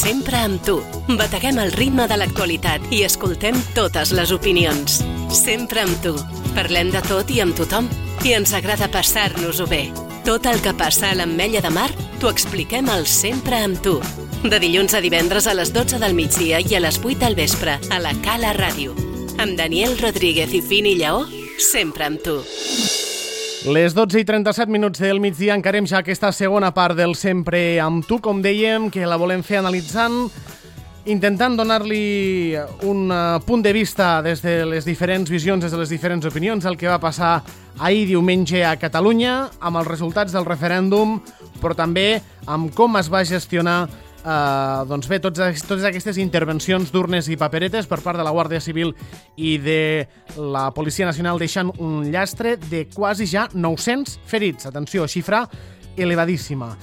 Sempre amb tu. Bateguem el ritme de l'actualitat i escoltem totes les opinions. Sempre amb tu. Parlem de tot i amb tothom. I ens agrada passar-nos-ho bé. Tot el que passa a l'Ametlla de Mar t'ho expliquem al Sempre amb tu. De dilluns a divendres a les 12 del migdia i a les 8 del vespre a la Cala Ràdio. Amb Daniel Rodríguez i Fini Lleó, sempre amb tu. Les 12:37 del migdia encarem ja aquesta segona part del Sempre amb tu, com dèiem, que la volem fer analitzant, intentant donar-li un punt de vista des de les diferents visions, des de les diferents opinions, el que va passar ahir diumenge a Catalunya, amb els resultats del referèndum, però també amb com es va gestionar doncs bé, totes aquestes intervencions d'urnes i paperetes per part de la Guàrdia Civil i de la Policia Nacional, deixant un llastre de quasi ja 900 ferits. Atenció, xifra elevadíssima.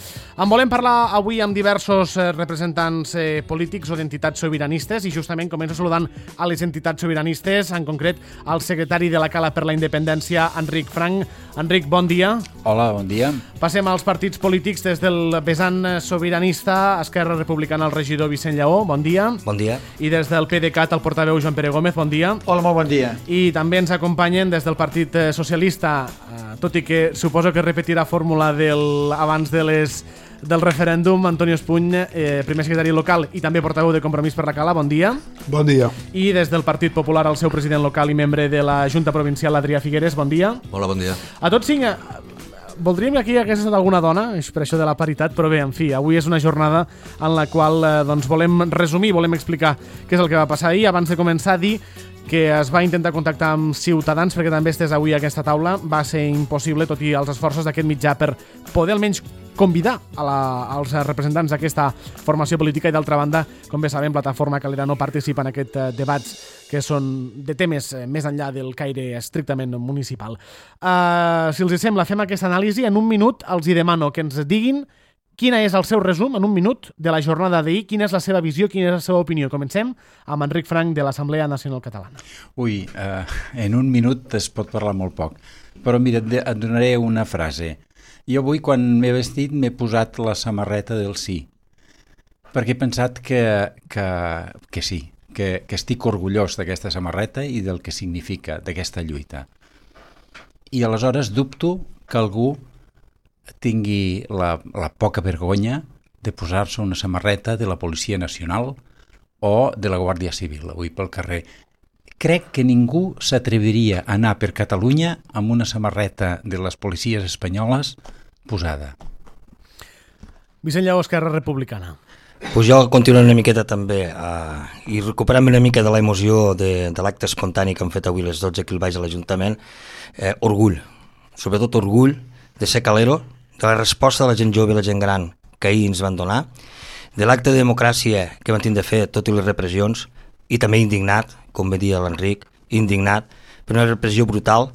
En volem parlar avui amb diversos representants polítics o d'entitats sobiranistes i justament començo saludant a les entitats sobiranistes, en concret al secretari de la Cala per la Independència, Enric Franch. Enric, bon dia. Hola, bon dia. Passem als partits polítics des del vessant sobiranista, Esquerra Republicana, el regidor Vicent Lleó, bon dia. Bon dia. I des del PDeCAT, el portaveu Joan Pere Gómez, bon dia. Hola, molt bon dia. I també ens acompanyen des del Partit Socialista, tot i que suposo que repetirà fórmula abans del referèndum, Antonio Espuny, primer secretari local i també portaveu de Compromís per la Cala, bon dia. Bon dia. I des del Partit Popular, el seu president local i membre de la Junta Provincial, Adrià Figueres, bon dia. Hola, bon dia. A tots cinc, voldríem que aquí hagués estat alguna dona, és per això de la paritat, però bé, en fi, avui és una jornada en la qual doncs, volem resumir, volem explicar què és el que va passar ahir. Abans de començar, dir que es va intentar contactar amb Ciutadans perquè també estés avui a aquesta taula. Va ser impossible, tot i els esforços d'aquest mitjà, per poder almenys convidar als representants d'aquesta formació política i, d'altra banda, com bé sabem, Plataforma Calera no participa en aquests debats que són de temes més enllà del caire estrictament municipal. Si els sembla, fem aquesta anàlisi. En un minut els hi demano que ens diguin quin és el seu resum, en un minut, de la jornada d'ahir, quina és la seva visió, quina és la seva opinió. Comencem amb Enric Franch, de l'Assemblea Nacional Catalana. Ui, en un minut es pot parlar molt poc, però mira, et donaré una frase. Jo avui, quan m'he vestit, m'he posat la samarreta del sí, perquè he pensat que sí, que estic orgullós d'aquesta samarreta i del que significa, d'aquesta lluita. I aleshores dubto que algú tingui la poca vergonya de posar-se una samarreta de la Policia Nacional o de la Guàrdia Civil avui pel carrer. Crec que ningú s'atreviria a anar per Catalunya amb una samarreta de les policies espanyoles posada. Vicent Lleó, Esquerra Republicana. Pues jo continuo una miqueta també i recuperant una mica de la emoció de l'acte espontani que han fet avui les 12 aquí al baix de l'Ajuntament. Orgull, sobretot orgull de ser calero, de la resposta de la gent jove i la gent gran que ahir ens van donar, de l'acte de democràcia que van tindre de fer tot i les repressions, i també indignat, com va dir l'Enric, indignat per una repressió brutal.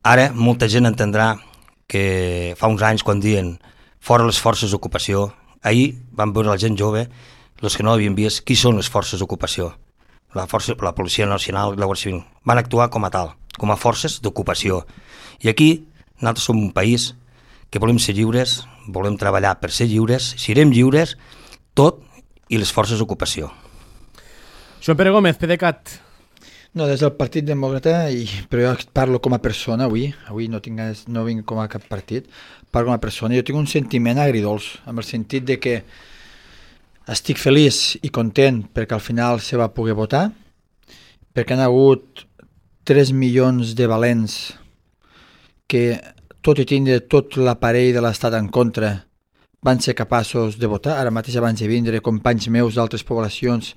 Ara molta gent entendrà que fa uns anys quan diuen fora les forces d'ocupació, ahir van veure la gent jove, els que no havien vist, qui són les forces d'ocupació. La Policia Nacional i la Guàrdia Civil van actuar com a tal, com a forces d'ocupació. I aquí nosaltres som un país que volem ser lliures, volem treballar per ser lliures, serem lliures, tot i les forces d'ocupació. Joan Pere Gómez, PDeCAT. No, des del Partit Demòcrata, però jo parlo com a persona avui no vinc com a cap partit, parlo com a persona. Jo tinc un sentiment agridolç, amb el sentit de que estic feliç i content perquè al final se va poder votar, perquè han hagut 3 milions de valents que, tot i tindre tot l'aparell de l'Estat en contra, van ser capaços de votar. Ara mateix abans de vindre companys meus d'altres poblacions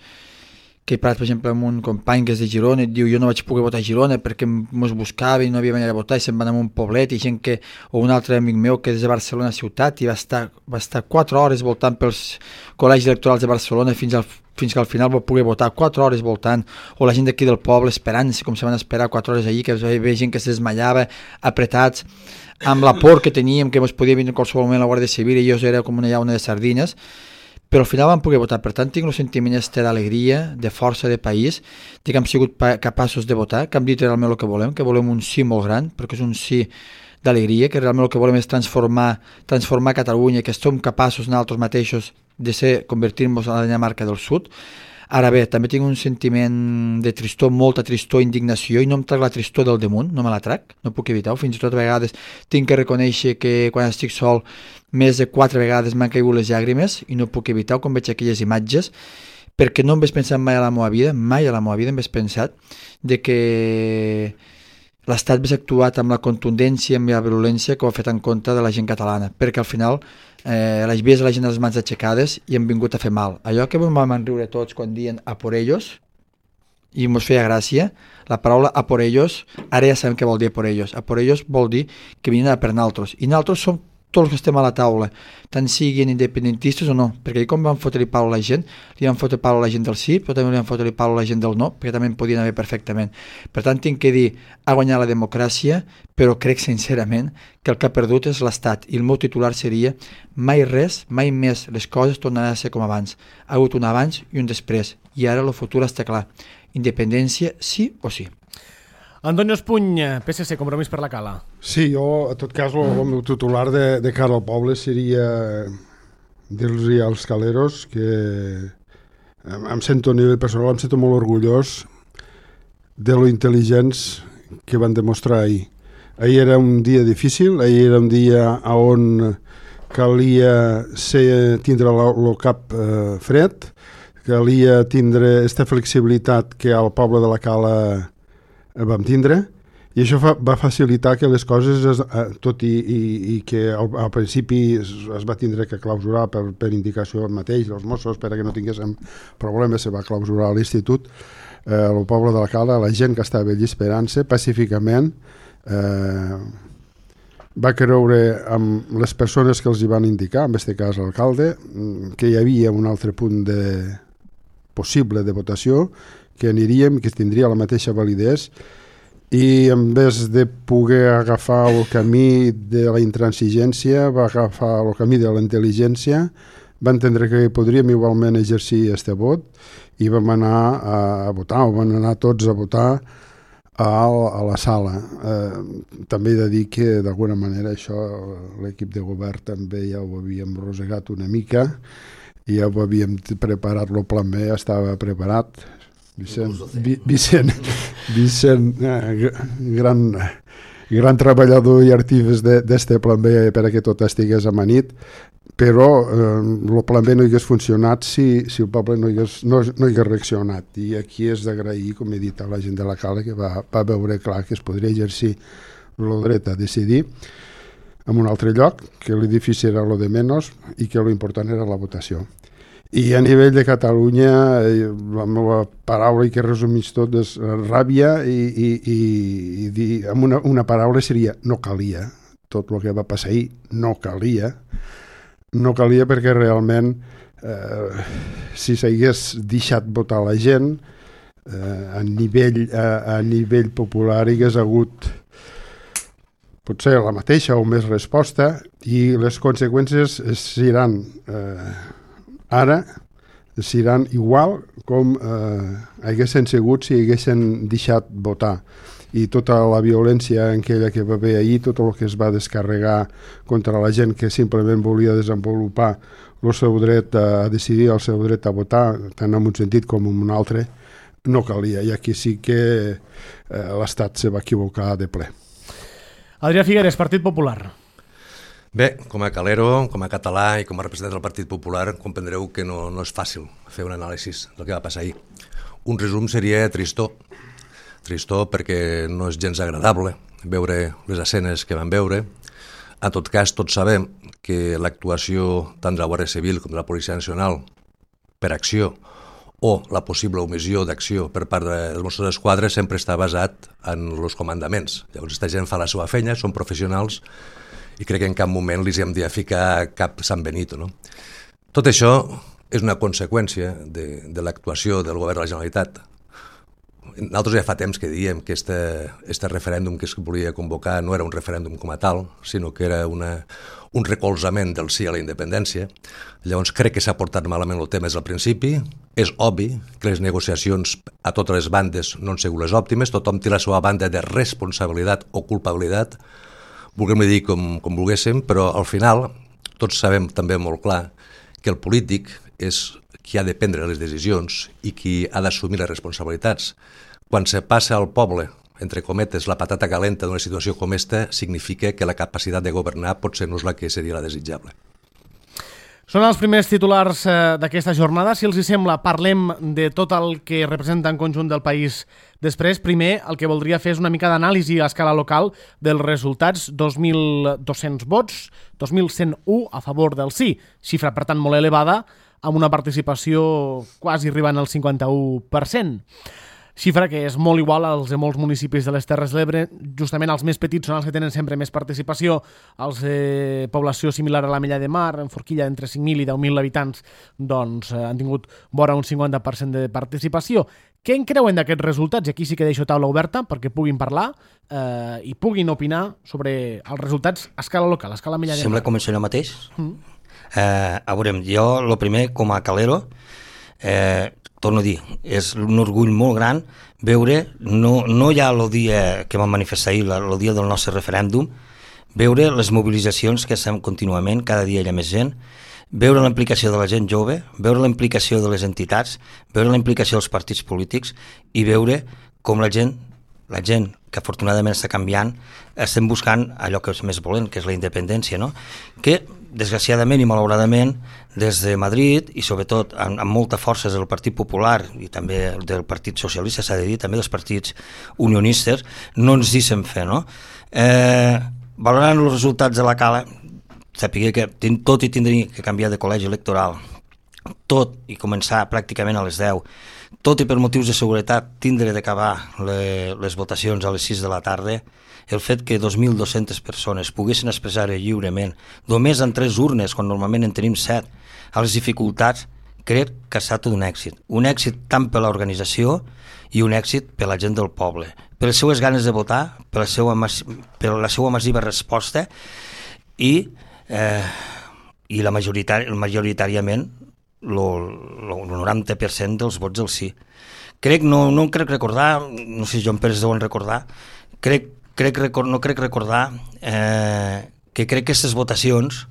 que he parlat, per exemple, amb un company que és de Girona i et diu jo no vaig poder votar a Girona perquè mos buscava i no havia manera de votar i se'n van a un poblet, i gent que, o un altre amic meu que és de Barcelona ciutat i va estar 4 hores voltant pels col·legis electorals de Barcelona fins que al final va poder votar 4 hores voltant, o la gent d'aquí del poble esperant-se com se van esperar 4 hores allí, que es veia gent que es desmallava apretats amb la por que teníem que ens podia vindre en qualsevol moment la Guàrdia Civil i jo era com una llauna de sardines, però al final vam poder votar. Per tant, tinc un sentiment d'alegria, de força de país, de que hem sigut capaços de votar, que hem dit realment el que volem un sí molt gran, perquè és un sí d'alegria, que realment el que volem és transformar Catalunya, que som capaços nosaltres mateixos de convertir-nos en la Dinamarca del Sud. Ara bé, també tinc un sentiment de tristor, molta tristor, indignació, i no em trac la tristor del damunt, no me la trac, no puc evitar-ho. Fins i tot a vegades tinc que reconèixer que quan estic sol més de 4 vegades m'han caigut les llàgrimes i no puc evitar-ho quan veig aquelles imatges, perquè no em vaig pensar mai a la meva vida em vaig pensar de que l'Estat hagués actuat amb la contundència i amb la virulència que ho ha fet en contra de la gent catalana, perquè al final les vies de la gent a les mans aixecades i han vingut a fer mal. Allò que vam enriure tots quan diuen a por ellos, i mos feia gràcia, la paraula a por ellos, ara ja sabem què vol dir a por ellos. A por ellos vol dir que vinen a per naltros, i naltros som tots els que estem a la taula, tant siguin independentistes o no, perquè com van fotre-li pau a la gent, li van fotre pau a la gent del sí, però també li van fotre pau a la gent del no, perquè també en podien haver perfectament. Per tant, tinc que dir, ha guanyat la democràcia, però crec sincerament que el que ha perdut és l'Estat, i el meu titular seria mai res, mai més les coses tornaran a ser com abans. Ha hagut un abans i un després, i ara el futur està clar. Independència sí o sí. Antonio Espuny, PSC, Compromís per la Cala. Sí, jo, a tot cas, el meu titular de cara al poble seria dir-los als caleros que em sento a nivell personal, em sento molt orgullós de lo intel·ligents que van demostrar ahir. Ahir era un dia difícil, ahir era un dia on calia tindre el cap fred, calia tindre aquesta flexibilitat que al poble de la Cala vam tindre, i això va facilitar que les coses, tot i que al principi es va tindre que clausurar per indicació mateix dels Mossos, perquè no tinguéssim problemes, se va clausurar l'institut, el poble de la Cala, la gent que estava allí esperant-se pacíficament, va creure amb les persones que els hi van indicar, en aquest cas l'alcalde, que hi havia un altre punt possible de votació, que aniríem, que tindria la mateixa validesa, i en vez de poder agafar el camí de la intransigència, va agafar el camí de la intel·ligència, va entendre que podríem igualment exercir aquest vot i vam anar a votar, o van anar tots a votar a la sala. També he de dir que d'alguna manera això l'equip de govern també ja ho havíem rosegat una mica, i ja ho havíem preparat, el plan B ja estava preparat. Vicent, gran treballador i artífex d'este plan B perquè tot estigués amanit, però el plan B no hagués funcionat si el poble no hagués reaccionat, i aquí és d'agrair, com he dit, a la gent de la Cala, que va veure clar que es podria exercir el dret a decidir en un altre lloc, que l'edifici era lo de menys i que l'important era la votació. I a nivell de Catalunya, la meva paraula, i que resumís tot, és ràbia, i dir, amb una paraula seria no calia. Tot el que va passar ahir no calia. No calia perquè realment, si s'hagués deixat votar la gent, a nivell popular hi hagués hagut potser la mateixa o més resposta, i les conseqüències seran ara seran igual com haguessin sigut si haguessin deixat votar. I tota la violència aquella que va haver ahir, tot el que es va descarregar contra la gent que simplement volia desenvolupar el seu dret a decidir, el seu dret a votar, tant en un sentit com en un altre, no calia. I aquí sí que l'Estat se va equivocar de ple. Adrià Figueres, Partit Popular. Bé, com a calero, com a català i com a representant del Partit Popular, comprendreu que no és fàcil fer un anàlisi del que va passar ahir. Un resum seria tristor. Tristor perquè no és gens agradable veure les escenes que vam veure. En tot cas, tots sabem que l'actuació tant de la Guàrdia Civil com de la Policia Nacional per acció o la possible omissió d'acció per part dels Mossos d'Esquadra sempre està basat en els comandaments. Llavors, aquesta gent fa la seva feina, són professionals, i crec que en cap moment li hem de ficar cap San Benito. No? Tot això és una conseqüència de l'actuació del govern de la Generalitat. Nosaltres ja fa temps que diem que este referèndum que es volia convocar no era un referèndum com a tal, sinó que era un recolzament del sí a la independència. Llavors crec que s'ha portat malament el tema des del principi. És obvi que les negociacions a totes les bandes no han sigut les òptimes, tothom té la seva banda de responsabilitat o culpabilitat. vulguem dir com volguéssim, però al final tots sabem també molt clar que el polític és qui ha de prendre les decisions i qui ha d'assumir les responsabilitats. Quan se passa al poble, entre cometes, la patata calenta d'una situació com esta, significa que la capacitat de governar potser no és la que seria la desitjable. Són els primers titulars d'aquesta jornada. Si els hi sembla, parlem de tot el que representa en conjunt del país després. Primer, el que voldria fer és una mica d'anàlisi a escala local dels resultats. 2.200 vots, 2.101 a favor del sí, xifra per tant molt elevada, amb una participació quasi arribant al 51%. Xifra que és molt igual als de molts municipis de les Terres de l'Ebre. Justament els més petits són els que tenen sempre més participació. Els de població similar a la Mella de Mar, en Forquilla, entre 5.000 i 10.000 habitants, doncs han tingut vora un 50% de participació. Què en creuen d'aquests resultats? I aquí sí que deixo taula oberta perquè puguin parlar i puguin opinar sobre els resultats a escala local, a escala Mella de Mar. Sembla començar allò mateix? A veure, jo, el primer, com a calero, torno a dir, és un orgull molt gran veure, no ja el dia que vam manifestar ahir, el dia del nostre referèndum, veure les mobilitzacions que estem contínuament, cada dia hi ha més gent, veure la implicació de la gent jove, veure la implicació de les entitats, veure la implicació dels partits polítics i veure com la gent que afortunadament està canviant, estem buscant allò que és més volent, que és la independència, no? Que, desgraciadament i malauradament, des de Madrid, i sobretot amb molta força del Partit Popular i també del Partit Socialista, s'ha de dir, també dels partits unionistes, no ens deixen fer, no? Valorant els resultats de la Cala, sàpiga que tot i tindria que canviar de col·legi electoral, tot i començar pràcticament a les 10, tot i per motius de seguretat tindre d'acabar les votacions a les 6 de la tarda, el fet que 2.200 persones poguessin expressar lliurement, només en 3 urnes, quan normalment en tenim 7, a les dificultats, crec que ha estat un èxit. Un èxit tant per l'organització i un èxit per la gent del poble. Per les seues ganes de votar, per la seva massiva resposta i majoritàriament el 90% dels vots del sí. No crec recordar, no sé si Joan Pérez deuen recordar, que crec que aquestes votacions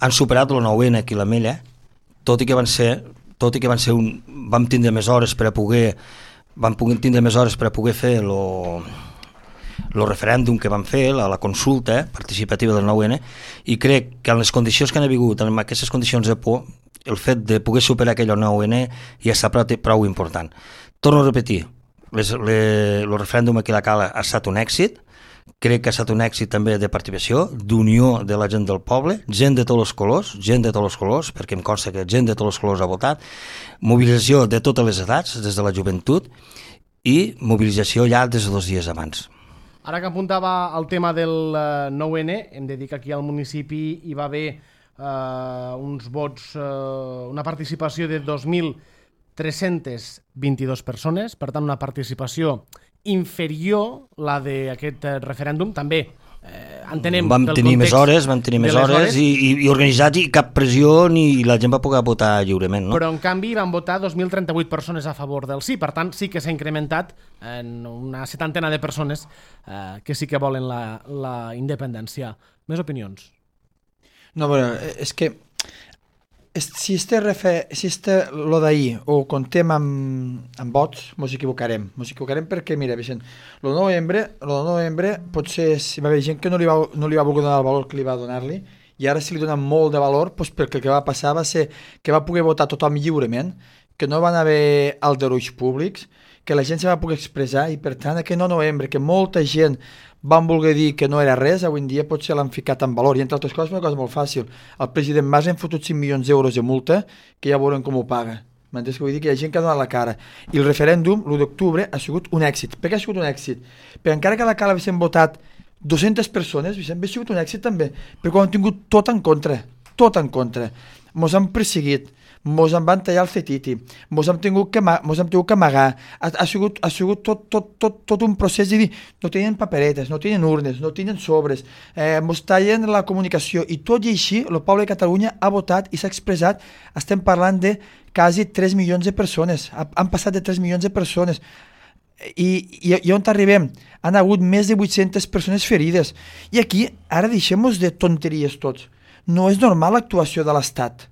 han superat el 9N aquí a la Mella, tot i que vam tindre més hores per a poder fer el referèndum que vam fer, la consulta participativa del 9N, i crec que en les condicions que han hagut, en aquestes condicions de por, el fet de poder superar aquell 9N ja està prou important. Torno a repetir, el referèndum aquí a la Cala ha estat un èxit, crec que ha estat un èxit també de participació, d'unió de la gent del poble, gent de tots els colors, perquè em consta que gent de tots els colors ha votat, mobilització de totes les edats, des de la joventut, i mobilització ja des de 2 dies abans. Ara que apuntava al tema del 9N, hem de dir que aquí al municipi hi va haver uns vots, una participació de 2.322 persones, per tant una participació inferior la d'aquest referèndum, també entenem vam tenir més hores i organitzats i cap pressió ni la gent va poder votar lliurement, no? Però en canvi van votar 2.038 persones a favor del sí, per tant sí que s'ha incrementat en una 70 de persones que sí que volen la independència. Més opinions? No, bueno, és que si lo d'ahir ho contem amb vots, mos equivocarem perquè, mira, Vicent, el 9 de novembre potser hi va haver gent que no li va voler donar el valor que li va donar-li, i ara si li donen molt de valor, doncs perquè el que va passar va ser que va poder votar tothom lliurement, que no van haver aldarulls públics, que la gent se va poder expressar, i per tant aquest 9 de novembre, que molta gent van voler dir que no era res, avui en dia potser l'han ficat en valor, i entre altres coses una cosa molt fàcil, el president Mas ha fotut 5 milions d'euros de multa, que ja veurem com ho paga. M'entens que vull dir? Que hi ha gent que ha donat la cara. I el referèndum, l'1 d'octubre, ha sigut un èxit. Per què ha sigut un èxit? Perquè encara que a la Cala haguessin votat 200 persones, ha sigut un èxit també, perquè ho han tingut tot en contra. Mos han perseguit, mos en van tallar el fetiti, mos hem tingut que amagar, ha sigut tot un procés de dir, no tenen paperetes, no tenen urnes, no tenen sobres, mos tallen la comunicació, i tot i així el poble de Catalunya ha votat i s'ha expressat. Estem parlant de quasi 3 milions de persones, han passat de 3 milions de persones. I on arribem? Han hagut més de 800 persones ferides. I aquí, ara deixem-nos de tonteries tots. No és normal l'actuació de l'Estat.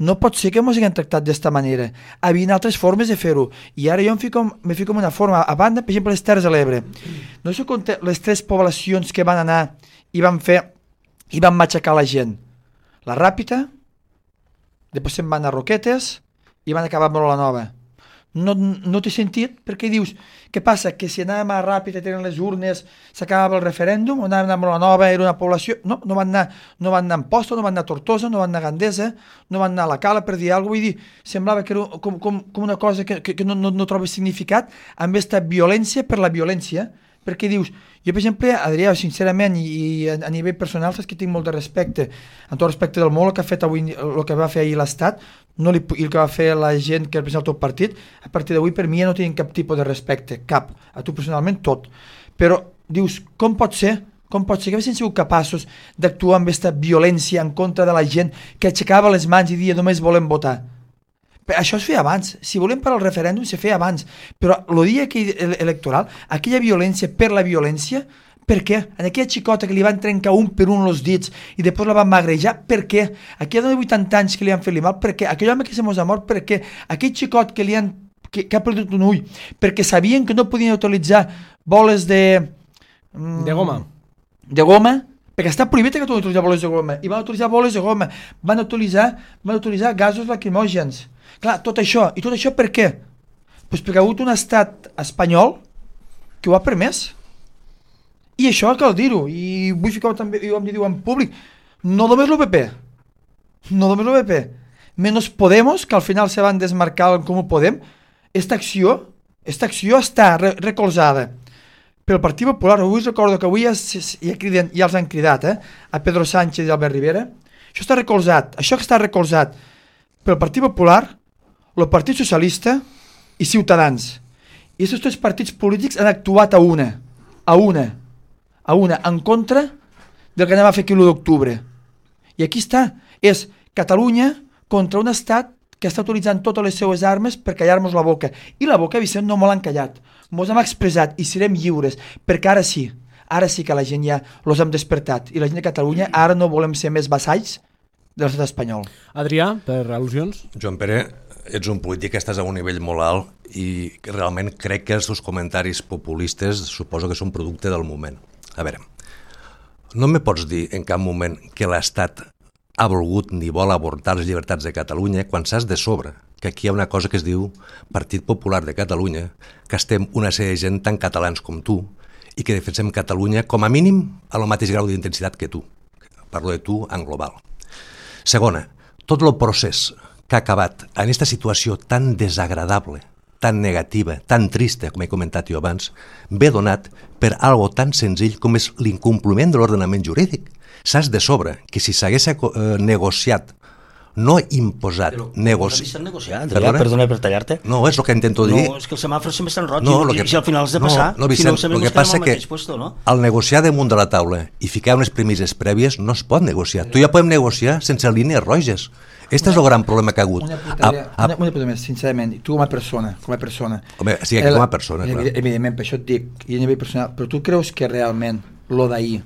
No pot ser que ens haguem tractat d'esta manera. Hi havia altres formes de fer-ho. I ara jo me fico en una forma. A banda, per exemple, les Terres de l'Ebre. No sé com les 3 poblacions que van anar i van matxacar la gent. La Ràpita, després se'n van a Roquetes i van acabar amb la Nova. No té sentit, perquè dius, què passa? Que si anàvem a Ràpita i tenen les urnes, s'acabava el referèndum, o anàvem a la Nova, era una població... No van anar a Amposta, no van anar a Tortosa, no van anar a Gandesa, no van anar a la Cala, per dir alguna cosa. Vull dir, semblava que era com una cosa que no troba significat amb aquesta violència per la violència, perquè dius, jo per exemple, Adrià, sincerament, i a nivell personal, saps que tinc molt de respecte, amb tot respecte del món, el que ha fet avui, el que va fer ahir l'Estat, i el que va fer la gent que representa el teu partit, a partir d'avui per mi ja no tenen cap tipus de respecte, cap, a tu personalment tot, però dius, com pot ser que haguessin sigut capaços d'actuar amb aquesta violència en contra de la gent que aixecava les mans i dia només volem votar? Això es feia abans, si volem parar el referèndum se feia abans, però el dia electoral, aquella violència per la violència, per què? En aquella xicota que li van trencar un per un els dits i després la van magrejar, per què? Aquella de 80 anys que li han fet mal, per què? Aquell home que se mos ha mort, per què? Aquell xicot que ha perdut un ull, perquè sabien que no podien utilitzar boles de goma. De goma, perquè està prohibit que utilitzar boles de goma, i van utilitzar boles de goma, van utilitzar gasos lacrimògens. Clar, tot això per què? Pues perquè ha hagut un estat espanyol que ho ha permès. I això cal dir-ho, i vull ficar també, i ho hem de dir en públic, no només l'UPP, menys Podemos, que al final se van desmarcar en Comú Podem, esta acció està recolzada pel Partit Popular. Avui recordo que avui ja els han cridat, a Pedro Sánchez i Albert Rivera. Això que està recolzat pel Partit Popular, el Partit Socialista i Ciutadans. I aquests 3 partits polítics han actuat a una, en contra del que anem a fer aquí l'1 d'octubre. I aquí està, és Catalunya contra un estat que està utilitzant totes les seues armes per callar-nos la boca. I la boca, Vicent, no mos l'han callat. Mos hem expressat i serem lliures, perquè ara sí que la gent ja los hem despertat. I la gent de Catalunya ara no volem ser més vassalls de l'estat espanyol. Adrià, per al·lusions? Joan Pere, ets un polític que estàs a un nivell molt alt i realment crec que els teus comentaris populistes suposo que són producte del moment. A veure, no me pots dir en cap moment que l'Estat ha volgut ni vol avortar les llibertats de Catalunya quan saps de sobre que aquí hi ha una cosa que es diu Partit Popular de Catalunya, que estem una sèrie de gent tan catalans com tu i que defensem Catalunya com a mínim a lo mateix grau d'intensitat que tu. Parlo de tu en global. Segona, tot el procés que ha acabat en aquesta situació tan desagradable, tan negativa, tan trista, com he comentat jo abans, ve donat per algo tan senzill com és l'incompliment de l'ordenament jurídic. Saps de sobre que si s'hagués negociat, no imposat, negociat. Perdona per tallar-te. No, és el que intento dir. No, és que els semàfors sempre estan roig i si al final has de passar, si no sabem que passa que al negociar damunt de la taula i ficar unes premisses prèvies no es pot negociar. Tu ja podem negociar sense línies roges. Este és el gran problema que ha hagut. Una puta més, sincerament, tu com a persona. Home, sí, com a persona, clar. Evidentment, per això et dic, i a nivell personal, però tu creus que realment lo d'ahir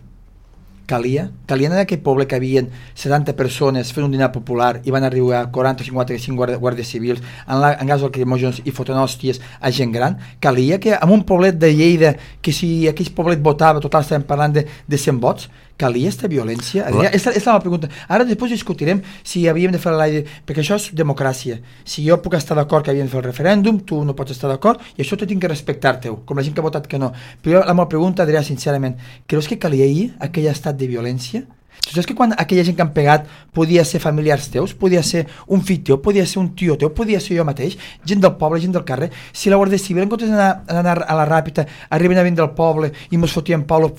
calia en aquell poble que havien 70 persones fent un dinar popular i van arribar 40-55 guàrdies civils en gas lacrimògens i fotent hòsties a gent gran? Calia que en un poblet de Lleida, que si aquell poblet votava, total estàvem parlant de 100 vots, calia aquesta violència? Aquesta és la pregunta. Ara després discutirem si havíem de fer l'aire, perquè això és democràcia. Si jo puc estar d'acord que havíem de fer el referèndum, tu no pots estar d'acord, i això t'ho tinc que respectar-te, com la gent que ha votat que no. Però la meva pregunta, Adrià, sincerament, creus que calia ahir aquell estat de violència? Tu saps que quan aquella gent que han pegat podia ser familiars teus, podia ser un fill teu, podia ser un tio teu, podia ser jo mateix, gent del poble, gent del carrer? Si la Guàrdia Civil, en comptes d'anar a la Ràpita, arriben a venir del poble i mos fotien palo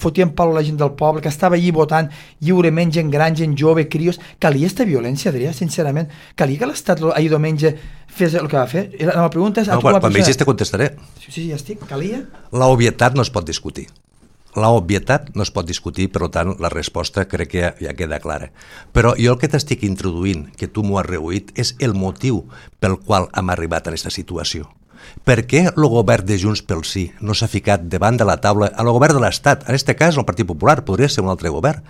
la gent del poble, que estava allí votant lliurement, gent gran, gent jove, crios, calia aquesta violència, Adrià, sincerament? Calia que l'Estat ahir diumenge fes el que va fer? La meva pregunta és... Quan vegis te contestaré. Sí, ja estic. Calia? La obvietat no es pot discutir. La obvietat no es pot discutir, per tant, la resposta crec que ja queda clara. Però jo el que t'estic introduint, que tu m'ho has reduït, és el motiu pel qual hem arribat a aquesta situació. Per què el govern de Junts pel Sí no s'ha ficat davant de la taula al govern de l'Estat? En aquest cas, el Partit Popular, podria ser un altre govern.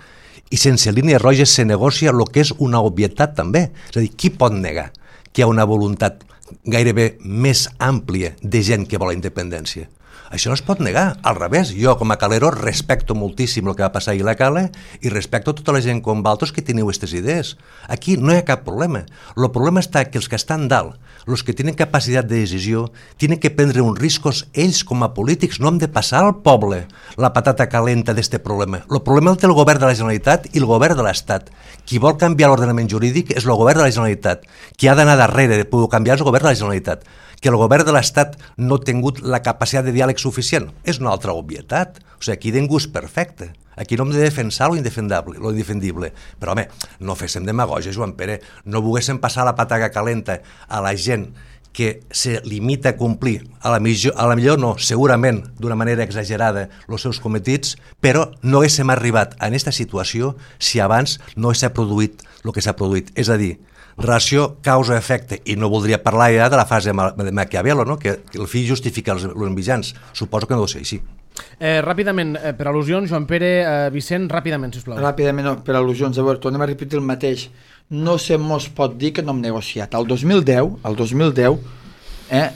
I sense línies roges se negocia el que és una obvietat també. És a dir, qui pot negar que hi ha una voluntat gairebé més àmplia de gent que vol la independència? Això no es pot negar, al revés. Jo, com a calero, respecto moltíssim el que va passar ahir a la Cala i respecto tota la gent com vosaltres que teniu aquestes idees. Aquí no hi ha cap problema. El problema està que els que estan dalt, els que tenen capacitat de decisió, tenen que prendre uns riscos ells com a polítics. No hem de passar al poble la patata calenta d'este problema. El problema el té el govern de la Generalitat i el govern de l'Estat. Qui vol canviar l'ordenament jurídic és el govern de la Generalitat. Qui ha d'anar darrere de poder canviar és el govern de la Generalitat. Que el govern de l'Estat no ha tingut la capacitat de diàleg suficient és una altra obvietat. O sigui, aquí ningú és perfecte. Aquí no hem de defensar lo indefendible. Però, home, no féssim demagògia, Joan Pere. No volguéssim passar la pataga calenta a la gent que se limita a complir, a la millor no, segurament d'una manera exagerada, els seus cometits, però no haguéssim arribat a aquesta situació si abans no s'ha produït el que s'ha produït. És a dir, relació causa-efecte, i no voldria parlar ja de la fase de Maquiavelo, no? Que el fi justifica els mitjans. Suposo que no deu ser així. Ràpidament, per al·lusions, Joan Pere, Vicent, ràpidament, sisplau. Ràpidament, no, per al·lusions. A veure, tornem a repetir el mateix. No se mos pot dir que no hem negociat. El 2010,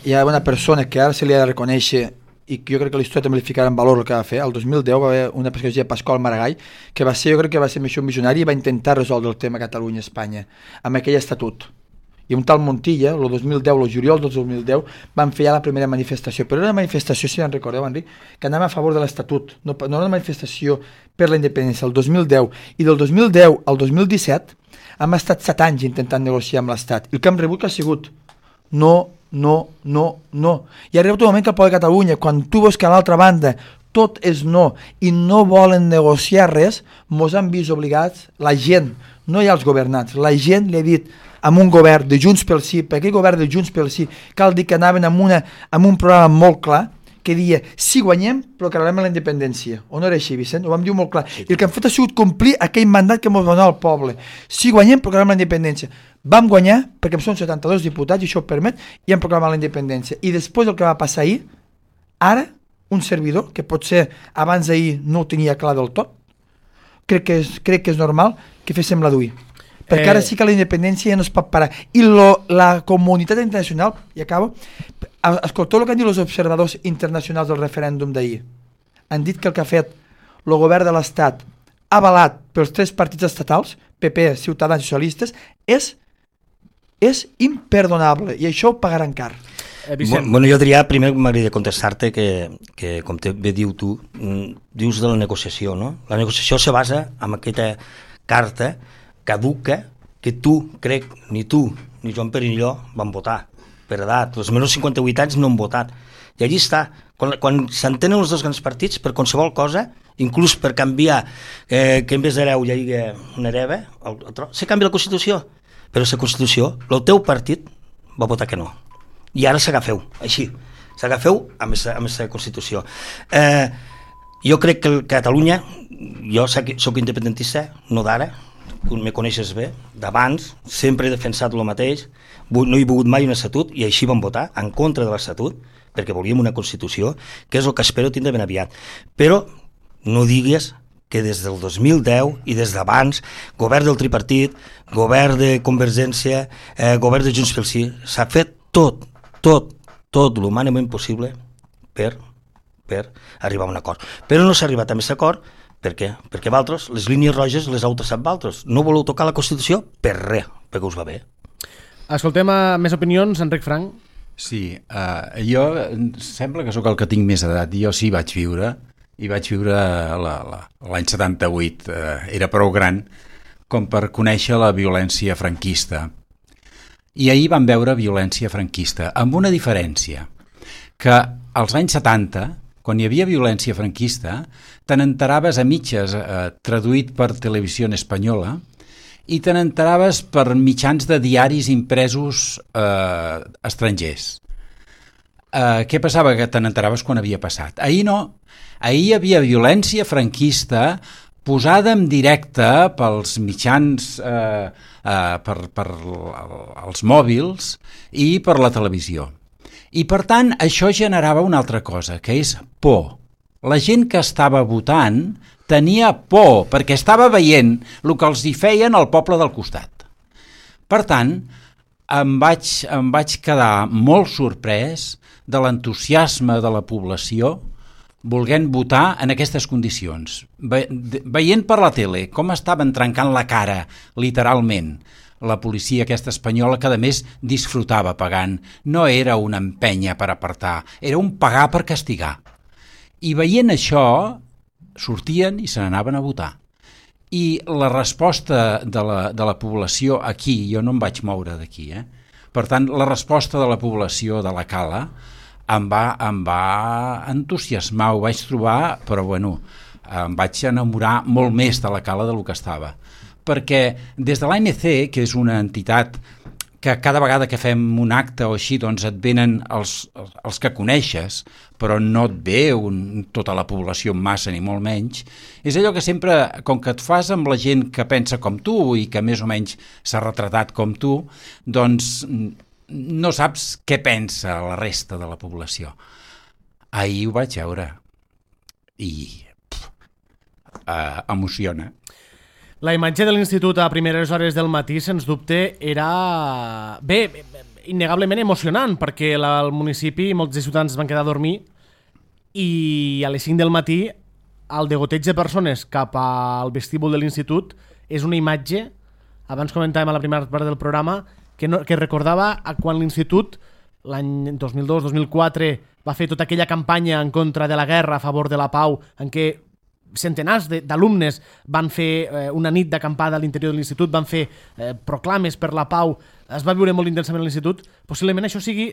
hi ha una persona que ara se li ha de reconèixer, i jo crec que la història també li ficarà en valor el que va fer. El 2010 va haver una persona que es deia Pasqual Maragall, que va ser, jo crec que va ser més un visionari i va intentar resoldre el tema Catalunya-Espanya amb aquell estatut. I un tal Montilla, el 2010, el juliol del 2010, van fer ja la primera manifestació. Però era una manifestació, si en recordeu, Enric, que anava a favor de l'Estatut, no era una manifestació per la independència, el 2010. I del 2010 al 2017 hem estat 7 anys intentant negociar amb l'Estat. I el que hem rebut ha sigut no. I ha arribat un moment que el poble de Catalunya, quan tu veus que a l'altra banda tot és no i no volen negociar res, mos han vist obligats, la gent, no hi ha els governants, la gent li ha dit amb un govern de Junts pel Sí, perquè el govern de Junts pel Sí cal dir que anaven amb un programa molt clar, que deia, si guanyem, proclamem la independència. O no era així, Vicent? Ho vam dir molt clar. I el que han fet ha sigut complir aquell mandat que ens va donar el poble. Si guanyem, proclamem la independència. Vam guanyar, perquè són 72 diputats, i això ho permet, i hem proclamat la independència. I després el que va passar ahir, ara, un servidor, que potser abans d'ahir no ho tenia clar del tot, crec que és normal que féssim la d'avui. Perquè ara sí que la independència ja no es pot parar. I la comunitat internacional, i acabo, escolteu el que han dit els observadors internacionals del referèndum d'ahir. Han dit que el que ha fet el govern de l'Estat, avalat pels 3 partits estatals, PP, Ciutadans i Socialistes, és imperdonable, i això ho pagaran car. Bueno, jo diria, primer m'agradaria contestar-te que com bé diu tu, dius de la negociació, no? La negociació se basa en aquesta carta caduca que crec, ni tu, ni Joan Pere ni jo vam votar, per edat. Els menys de 58 anys no han votat. I allí està. Quan s'entenen els dos grans partits, per qualsevol cosa, inclús per canviar que en vez d'hereu hi hagi un hereva, se canvia la Constitució. Però la Constitució, el teu partit va votar que no. I ara s'agafeu, així. S'agafeu amb aquesta Constitució. Jo crec que Catalunya, jo soc independentista, no d'ara, me coneixes bé, d'abans, sempre he defensat el mateix, no he volgut mai un estatut, i així vam votar en contra de l'estatut, perquè volíem una Constitució, que és el que espero tindre ben aviat. Però no digues que des del 2010 i des d'abans, govern del tripartit, govern de Convergència, govern de Junts pel Sí, s'ha fet tot l'humanament possible per arribar a un acord. Però no s'ha arribat a aquest acord. Per què? Perquè vosaltres, les línies roges les heu traçat vosaltres. No voleu tocar la Constitució per res, perquè us va bé. Escoltem més opinions, Enric Frank. Sí, jo sembla que sóc el que tinc més edat. Jo sí vaig viure, i vaig viure l'any 78. Era prou gran com per conèixer la violència franquista. I ahir vam veure violència franquista, amb una diferència, que als anys 70, quan hi havia violència franquista, te n'enteraves a mitges, traduït per Televisió Espanyola, i te n'enteraves per mitjans de diaris impresos estrangers. Què passava? Que te n'enteraves quan havia passat. Ahir no. Ahir hi havia violència franquista posada en directe pels mitjans, per els mòbils i per la televisió. I per tant això generava una altra cosa, que és por. La gent que estava votant tenia por perquè estava veient el que els hi feien al poble del costat. Per tant, em vaig quedar molt sorprès de l'entusiasme de la població volent votar en aquestes condicions. Veient per la tele com estaven trencant la cara, literalment, la policia aquesta espanyola, que a més disfrutava pagant. No era una empenya per apartar, era un pagar per castigar. I veient això, sortien i se n'anaven a votar. I la resposta de la població aquí, jo no em vaig moure d'aquí, per tant, la resposta de la població de la Cala em va entusiasmar, ho vaig trobar, però bueno, em vaig enamorar molt més de la Cala del que estava. Perquè des de l'ANC, que és una entitat que cada vegada que fem un acte o així, doncs et venen els que coneixes, però no et ve tota la població en massa, ni molt menys, és allò que sempre, com que et fas amb la gent que pensa com tu i que més o menys s'ha retratat com tu, doncs no saps què pensa la resta de la població. Ahir ho vaig veure i emociona. La imatge de l'institut a primeres hores del matí, sens dubte, era innegablement emocionant, perquè al municipi molts de ciutadans van quedar a dormir i a les 5 del matí el degoteig de persones cap al vestíbul de l'institut és una imatge, abans comentàvem a la primera part del programa, que recordava quan l'institut, l'any 2002-2004, va fer tota aquella campanya en contra de la guerra a favor de la pau, en què centenars d'alumnes van fer una nit d'acampada a l'interior de l'institut, van fer proclames per la pau, es va viure molt intensament a l'institut. Possiblement això sigui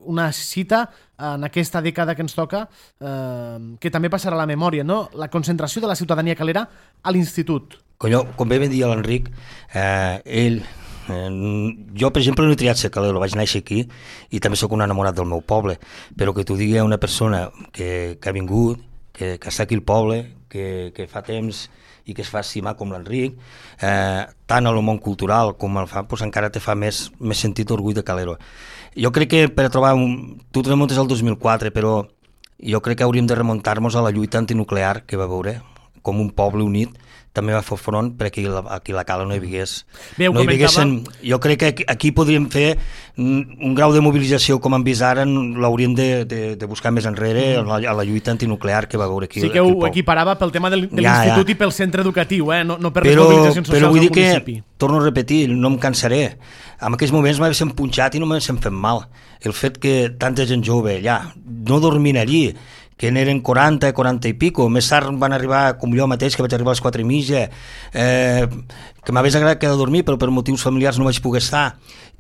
una cita en aquesta dècada que ens toca, que també passarà a la memòria, no? La concentració de la ciutadania calera a l'institut. Com bé dir l'Enric, ell... jo, per exemple, no he triat ser calero, vaig néixer aquí i també sóc un enamorat del meu poble, però que t'ho digui una persona que ha vingut, que està aquí al poble, que fa temps i que es fa estimar com l'Enric, tant al món cultural com el fa, doncs encara te fa més sentit orgull de calero. Jo crec que per trobar tu te remontes al 2004, però jo crec que hauríem de remuntar-nos a la lluita antinuclear que va veure, com un poble unit també va fer front perquè aquí a la Cala no hi hagués... Jo crec que aquí podríem fer un grau de mobilització com hem vist ara, l'hauríem de buscar més enrere a la lluita antinuclear que va veure aquí. Sí que ho equiparava pel tema de l'institut i pel centre educatiu, no per les mobilitzacions socials del municipi. Però vull dir que, torno a repetir, no em cansaré, en aquells moments m'haguéssim punxat i no m'haguéssim fet mal. El fet que tanta gent jove allà no dormin allí, que n'eren 40 i pico, més tard van arribar, com jo mateix, que vaig arribar a les 4:30, que m'hagués agradat quedar a dormir, però per motius familiars no vaig poder estar,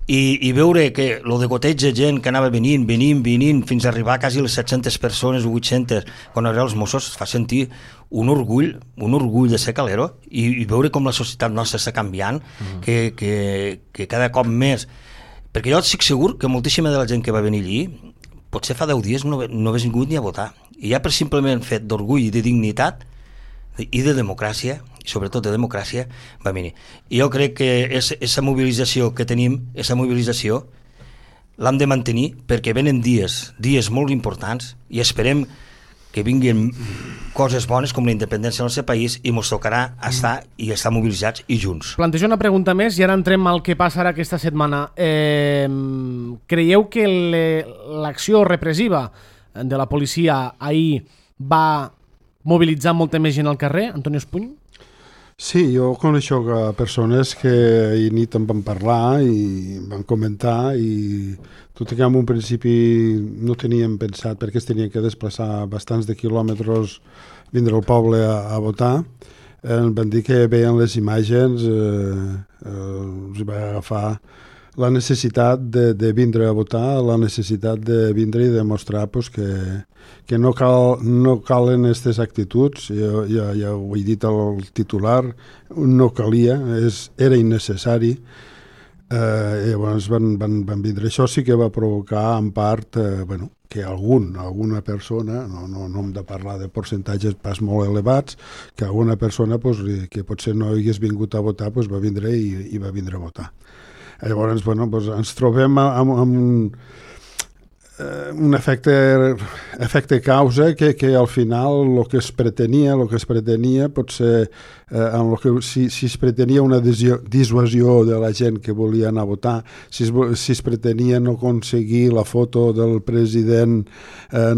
i veure que lo de goteig de gent que anava venint, fins a arribar quasi les 700 persones o 800, quan arribaven els Mossos, fa sentir un orgull de ser calero, i veure com la societat nostra està canviant, que cada cop més... Perquè jo estic segur que moltíssima de la gent que va venir allí, potser fa 10 dies no hagués vingut ni a votar. I ja per simplement fet d'orgull i de dignitat i de democràcia, i sobretot de democràcia, va venir. I jo crec que aquesta mobilització que tenim, aquesta mobilització, l'hem de mantenir perquè venen dies molt importants i esperem que vinguin coses bones com la independència del nostre país i ens tocarà estar mobilitzats i junts. Plantejo una pregunta més i ara entrem al que passarà aquesta setmana. Creieu que l'acció repressiva de la policia ahir va mobilitzar molta més gent al carrer, Antonio Espuny? Sí, jo coneixo persones que ahir nit em van parlar i van comentar i tot i que en un principi no teníem pensat perquè es tenien que desplaçar bastants de quilòmetres vindre al poble a votar, van dir que veien les imatges, els va agafar la necessitat de vindre a votar, la necessitat de vindre i demostrar pues, que no calen aquestes actituds, ja ho he dit al titular, no calia, era innecessari. Llavors van vindre. Això sí que va provocar en part que alguna persona, no hem de parlar de percentatges pas molt elevats, que alguna persona que potser no hagués vingut a votar va vindre i va vindre a votar. Llavors ens trobem amb un efecte causa que al final el que es pretenia potser si es pretenia una dissuasió de la gent que volia anar a votar, si es pretenia no aconseguir la foto del president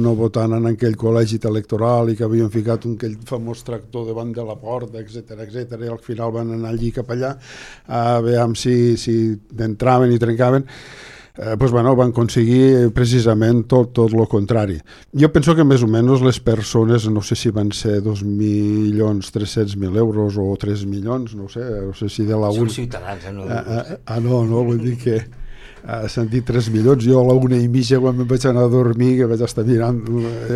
no votant en aquell col·legi electoral i que havien ficat aquell famós tractor davant de la porta, etc i al final van anar allí cap allà a veure si entraven i trencaven. Van aconseguir precisament tot el contrari. Jo penso que més o menys les persones, no sé si van ser 2.300.000 euros o 3 milions, no sé si de la... Són ciutadans, no, vull dir que s'han dit 3 milions, jo a la 1:30 quan em vaig anar a dormir, que vaig estar mirant,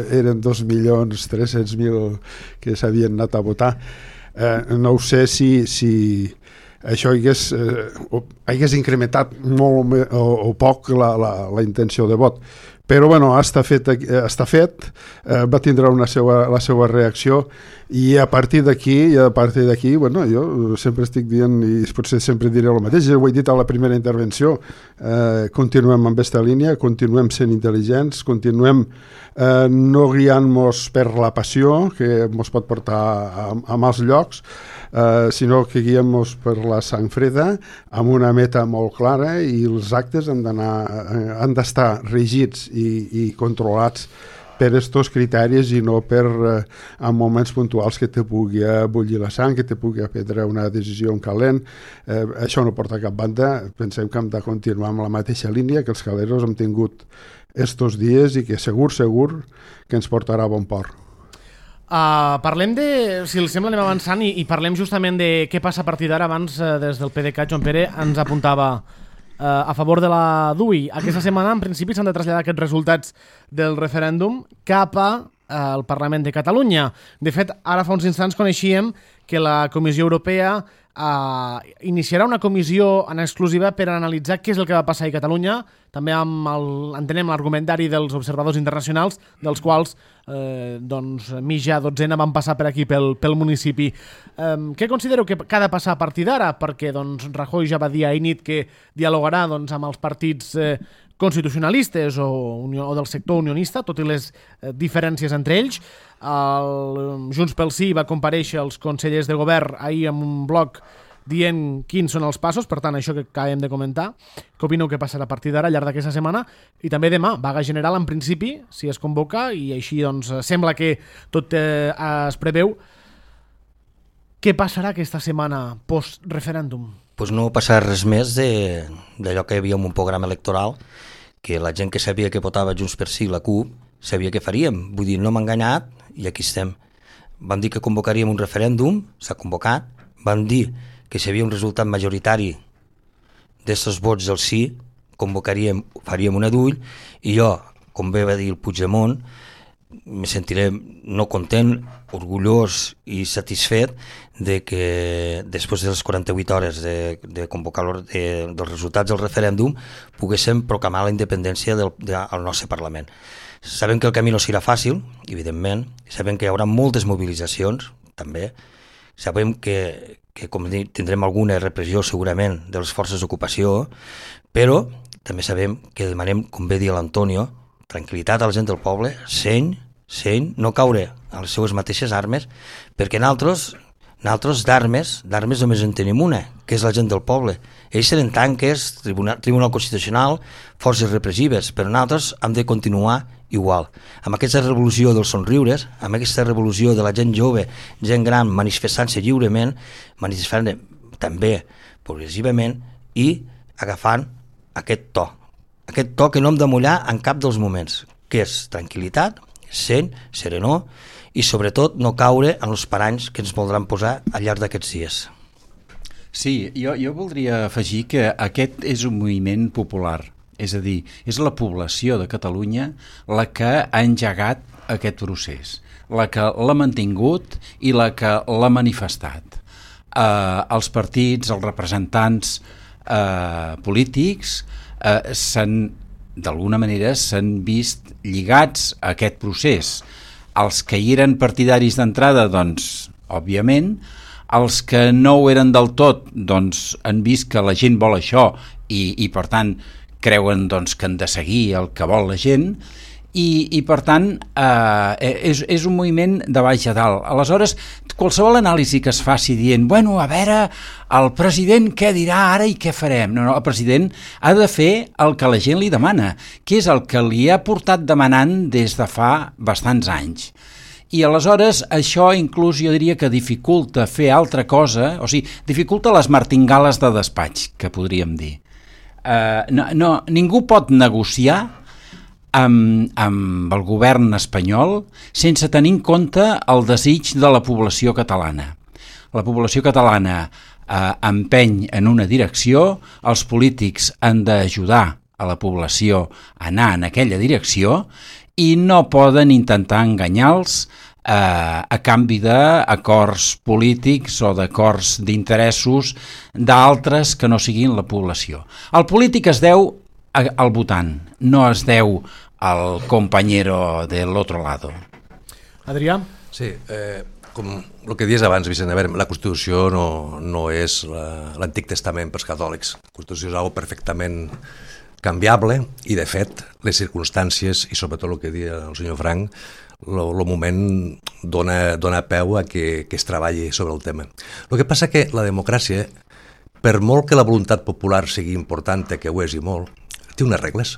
eren 2.300.000 que s'havien anat a votar. No sé si això hagués incrementat molt o poc la intenció de vot. Però està fet, va tindre la seva reacció i a partir d'aquí, jo sempre estic dient, i potser sempre diré el mateix, ho he dit a la primera intervenció, continuem amb aquesta línia, continuem sent intel·ligents, continuem no guiant-nos per la passió, que ens pot portar a mals llocs, sinó que guiem-nos per la sang freda amb una meta molt clara i els actes han d'estar regits i controlats per aquests criteris i no per en moments puntuals que te pugui bullir la sang, que te pugui prendre una decisió en calent. Això no porta a cap banda. Pensem que hem de continuar amb la mateixa línia que els caleros hem tingut estos dies i que segur que ens portarà a bon port. Parlem de, si els sembla anem avançant i parlem justament de què passa a partir d'ara. Abans des del PDeCAT Joan Pere ens apuntava a favor de la DUI. Aquesta setmana en principi s'han de traslladar aquests resultats del referèndum cap al Parlament de Catalunya. De fet, ara fa uns instants coneixíem que la Comissió Europea iniciarà una comissió en exclusiva per analitzar què és el que va passar a Catalunya, també entenem l'argumentari dels observadors internacionals, dels quals mitja dotzena van passar per aquí pel municipi. Què considero que ha de passar a partir d'ara? Perquè Rajoy ja va dir ahir nit que dialogarà amb els partits constitucionalistes o del sector unionista, tot i les diferències entre ells. Junts pel Sí va comparèixer els consellers de govern ahir amb un bloc dient quins són els passos, per tant, això que acabem de comentar. Què opineu que passarà a partir d'ara, al llarg d'aquesta setmana? I també demà, vaga general en principi, si es convoca, i així sembla que tot es preveu. Què passarà aquesta setmana post-referèndum? Pues no passarà res més d'allò que hi havia en un programa electoral, que la gent que sabia que votava Junts per Sí i la CUP sabia què faríem. Vull dir, no m'ha enganyat i aquí estem. Vam dir que convocaríem un referèndum, s'ha convocat. Vam dir que si hi havia un resultat majoritari d'estos vots del sí, faríem una d'ull, i jo, com bé va dir el Puigdemont, me sentiré no content, orgullós i satisfet de que després de les 48 hores de convocar dels resultats del referèndum poguéssim proclamar la independència del nostre Parlament. Sabem que el camí no serà fàcil, evidentment, sabem que hi haurà moltes mobilitzacions, també, sabem que com dic, tindrem alguna repressió segurament de les forces d'ocupació, però també sabem que demanem, com bé dir l'Antonio, tranquil·litat a la gent del poble, seny, no caure a les seues mateixes armes, perquè nosaltres d'armes només en tenim una, que és la gent del poble. Ells seran tanques, Tribunal Constitucional, forces repressives, però nosaltres hem de continuar igual. Amb aquesta revolució dels somriures, amb aquesta revolució de la gent jove, gent gran, manifestant-se lliurement, manifestant també progressivament i agafant aquest to que no hem de mullar en cap dels moments, que és tranquil·litat, seny, serenor i sobretot no caure en els paranys que ens voldran posar al llarg d'aquests dies. Sí, jo voldria afegir que aquest és un moviment popular, és a dir, és la població de Catalunya la que ha engegat aquest procés, la que l'ha mantingut i la que l'ha manifestat. Els partits, els representants polítics d'alguna manera s'han vist lligats a aquest procés. Els que hi eren partidaris d'entrada, doncs, òbviament, els que no ho eren del tot, doncs, han vist que la gent vol això i per tant, creuen doncs, que han de seguir el que vol la gent, i per tant és un moviment de baix a dalt. Aleshores, qualsevol anàlisi que es faci dient, bueno, a veure, el president què dirà ara i què farem? No, el president ha de fer el que la gent li demana, que és el que li ha portat demanant des de fa bastants anys. I aleshores això inclús jo diria que dificulta fer altra cosa, o sigui, dificulta les martingales de despatx, que podríem dir. Ningú pot negociar amb el govern espanyol sense tenir en compte el desig de la població catalana. La població catalana empeny en una direcció, els polítics han d'ajudar a la població a anar en aquella direcció i no poden intentar enganyar-los a canvi d'acords polítics o d'acords d'interessos d'altres que no siguin la població. El polític es deu al votant, no es deu al compañero del otro lado. Adrià? Sí, com el que dies abans, Vicent, a veure, la Constitució no és l'Antic Testament pels catòlics. La Constitució és algo perfectament canviable i, de fet, les circumstàncies i sobretot el que deia el senyor Frank, el moment dona peu a que es treballi sobre el tema. El que passa que la democràcia, per molt que la voluntat popular sigui important, que ho és i molt, té unes regles.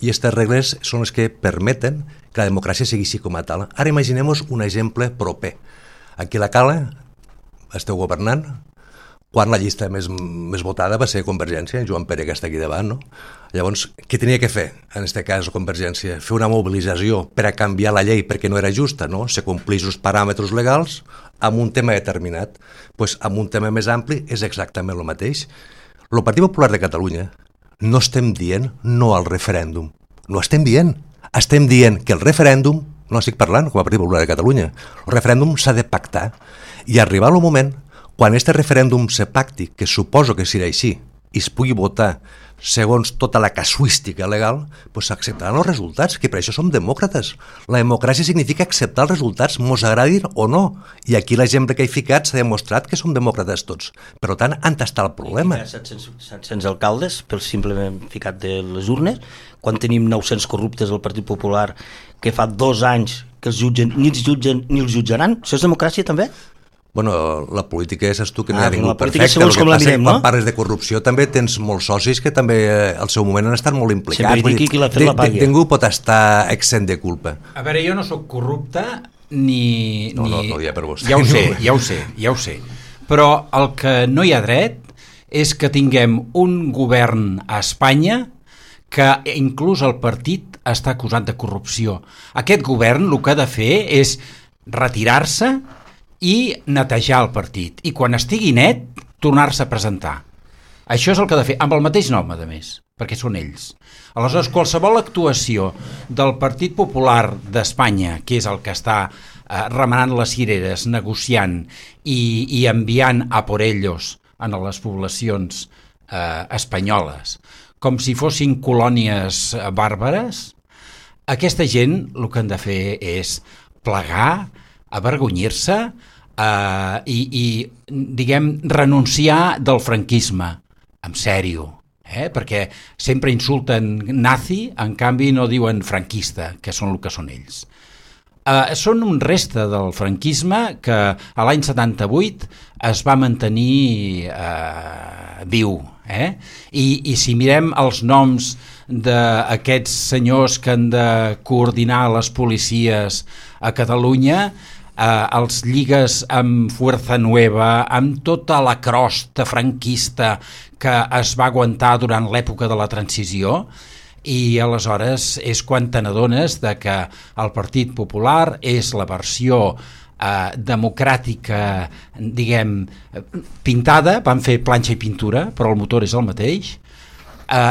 I aquestes regles són les que permeten que la democràcia sigui així com a tal. Ara imaginem-nos un exemple proper. Aquí a la Cala esteu governant quan la llista més votada va ser Convergència, Joan Pere, que està aquí davant, no? Llavors, què tenia que fer, en aquest cas, Convergència? Fer una mobilització per a canviar la llei perquè no era justa, no? Se complís els paràmetres legals amb un tema determinat. Doncs amb un tema més ampli és exactament el mateix. El Partit Popular de Catalunya no estem dient no al referèndum. No estem dient. Estem dient que el referèndum, no estic parlant com a Partit Popular de Catalunya, el referèndum s'ha de pactar i arribar al moment quan aquest referèndum se pacti, que suposo que serà així, i es pugui votar segons tota la casuística legal, doncs s'acceptaran els resultats, que per això som demòcrates. La democràcia significa acceptar els resultats, mos agradin o no. I aquí l'exemple que he ficat s'ha demostrat que som demòcrates tots. Per tant, on està el problema? 700 alcaldes pel simplement ficat de les urnes, quan tenim 900 corruptes al Partit Popular que fa 2 anys que els jutgen, ni els jutgen ni els jutjaran. Això és democràcia també? Bueno, la política és tu que no hi ha ningú perfecte. El que passa que quan parles de corrupció també tens molts socis que també al seu moment han estat molt implicats. Sempre dic qui l'ha fet la pàgia. Ningú pot estar exempt de culpa. A veure, jo no sóc corrupte ni... No hi ha per vostè. Ja ho sé. Però el que no hi ha dret és que tinguem un govern a Espanya que inclús el partit està acusat de corrupció. Aquest govern el que ha de fer és retirar-se i netejar el partit, i quan estigui net tornar-se a presentar. Això és el que ha de fer, amb el mateix nom, a més, perquè són ells. Aleshores, qualsevol actuació del Partit Popular d'Espanya, que és el que està remenant les cireres, negociant i enviant a por ellos a les poblacions espanyoles, com si fossin colònies bàrbares, aquesta gent el que han de fer és plegar, avergonyir-se i diguem, renunciar del franquisme, en sèrio, perquè sempre insulten nazi, en canvi no diuen franquista, que són el que són ells. Són un reste del franquisme que a l'any 78 es va mantenir viu. I si mirem els noms d'aquests senyors que han de coordinar les policies a Catalunya, els lligues amb Fuerza Nueva, amb tota la crosta franquista que es va aguantar durant l'època de la transició, i aleshores és quan te n'adones que el Partit Popular és la versió democràtica, diguem, pintada, van fer planxa i pintura, però el motor és el mateix,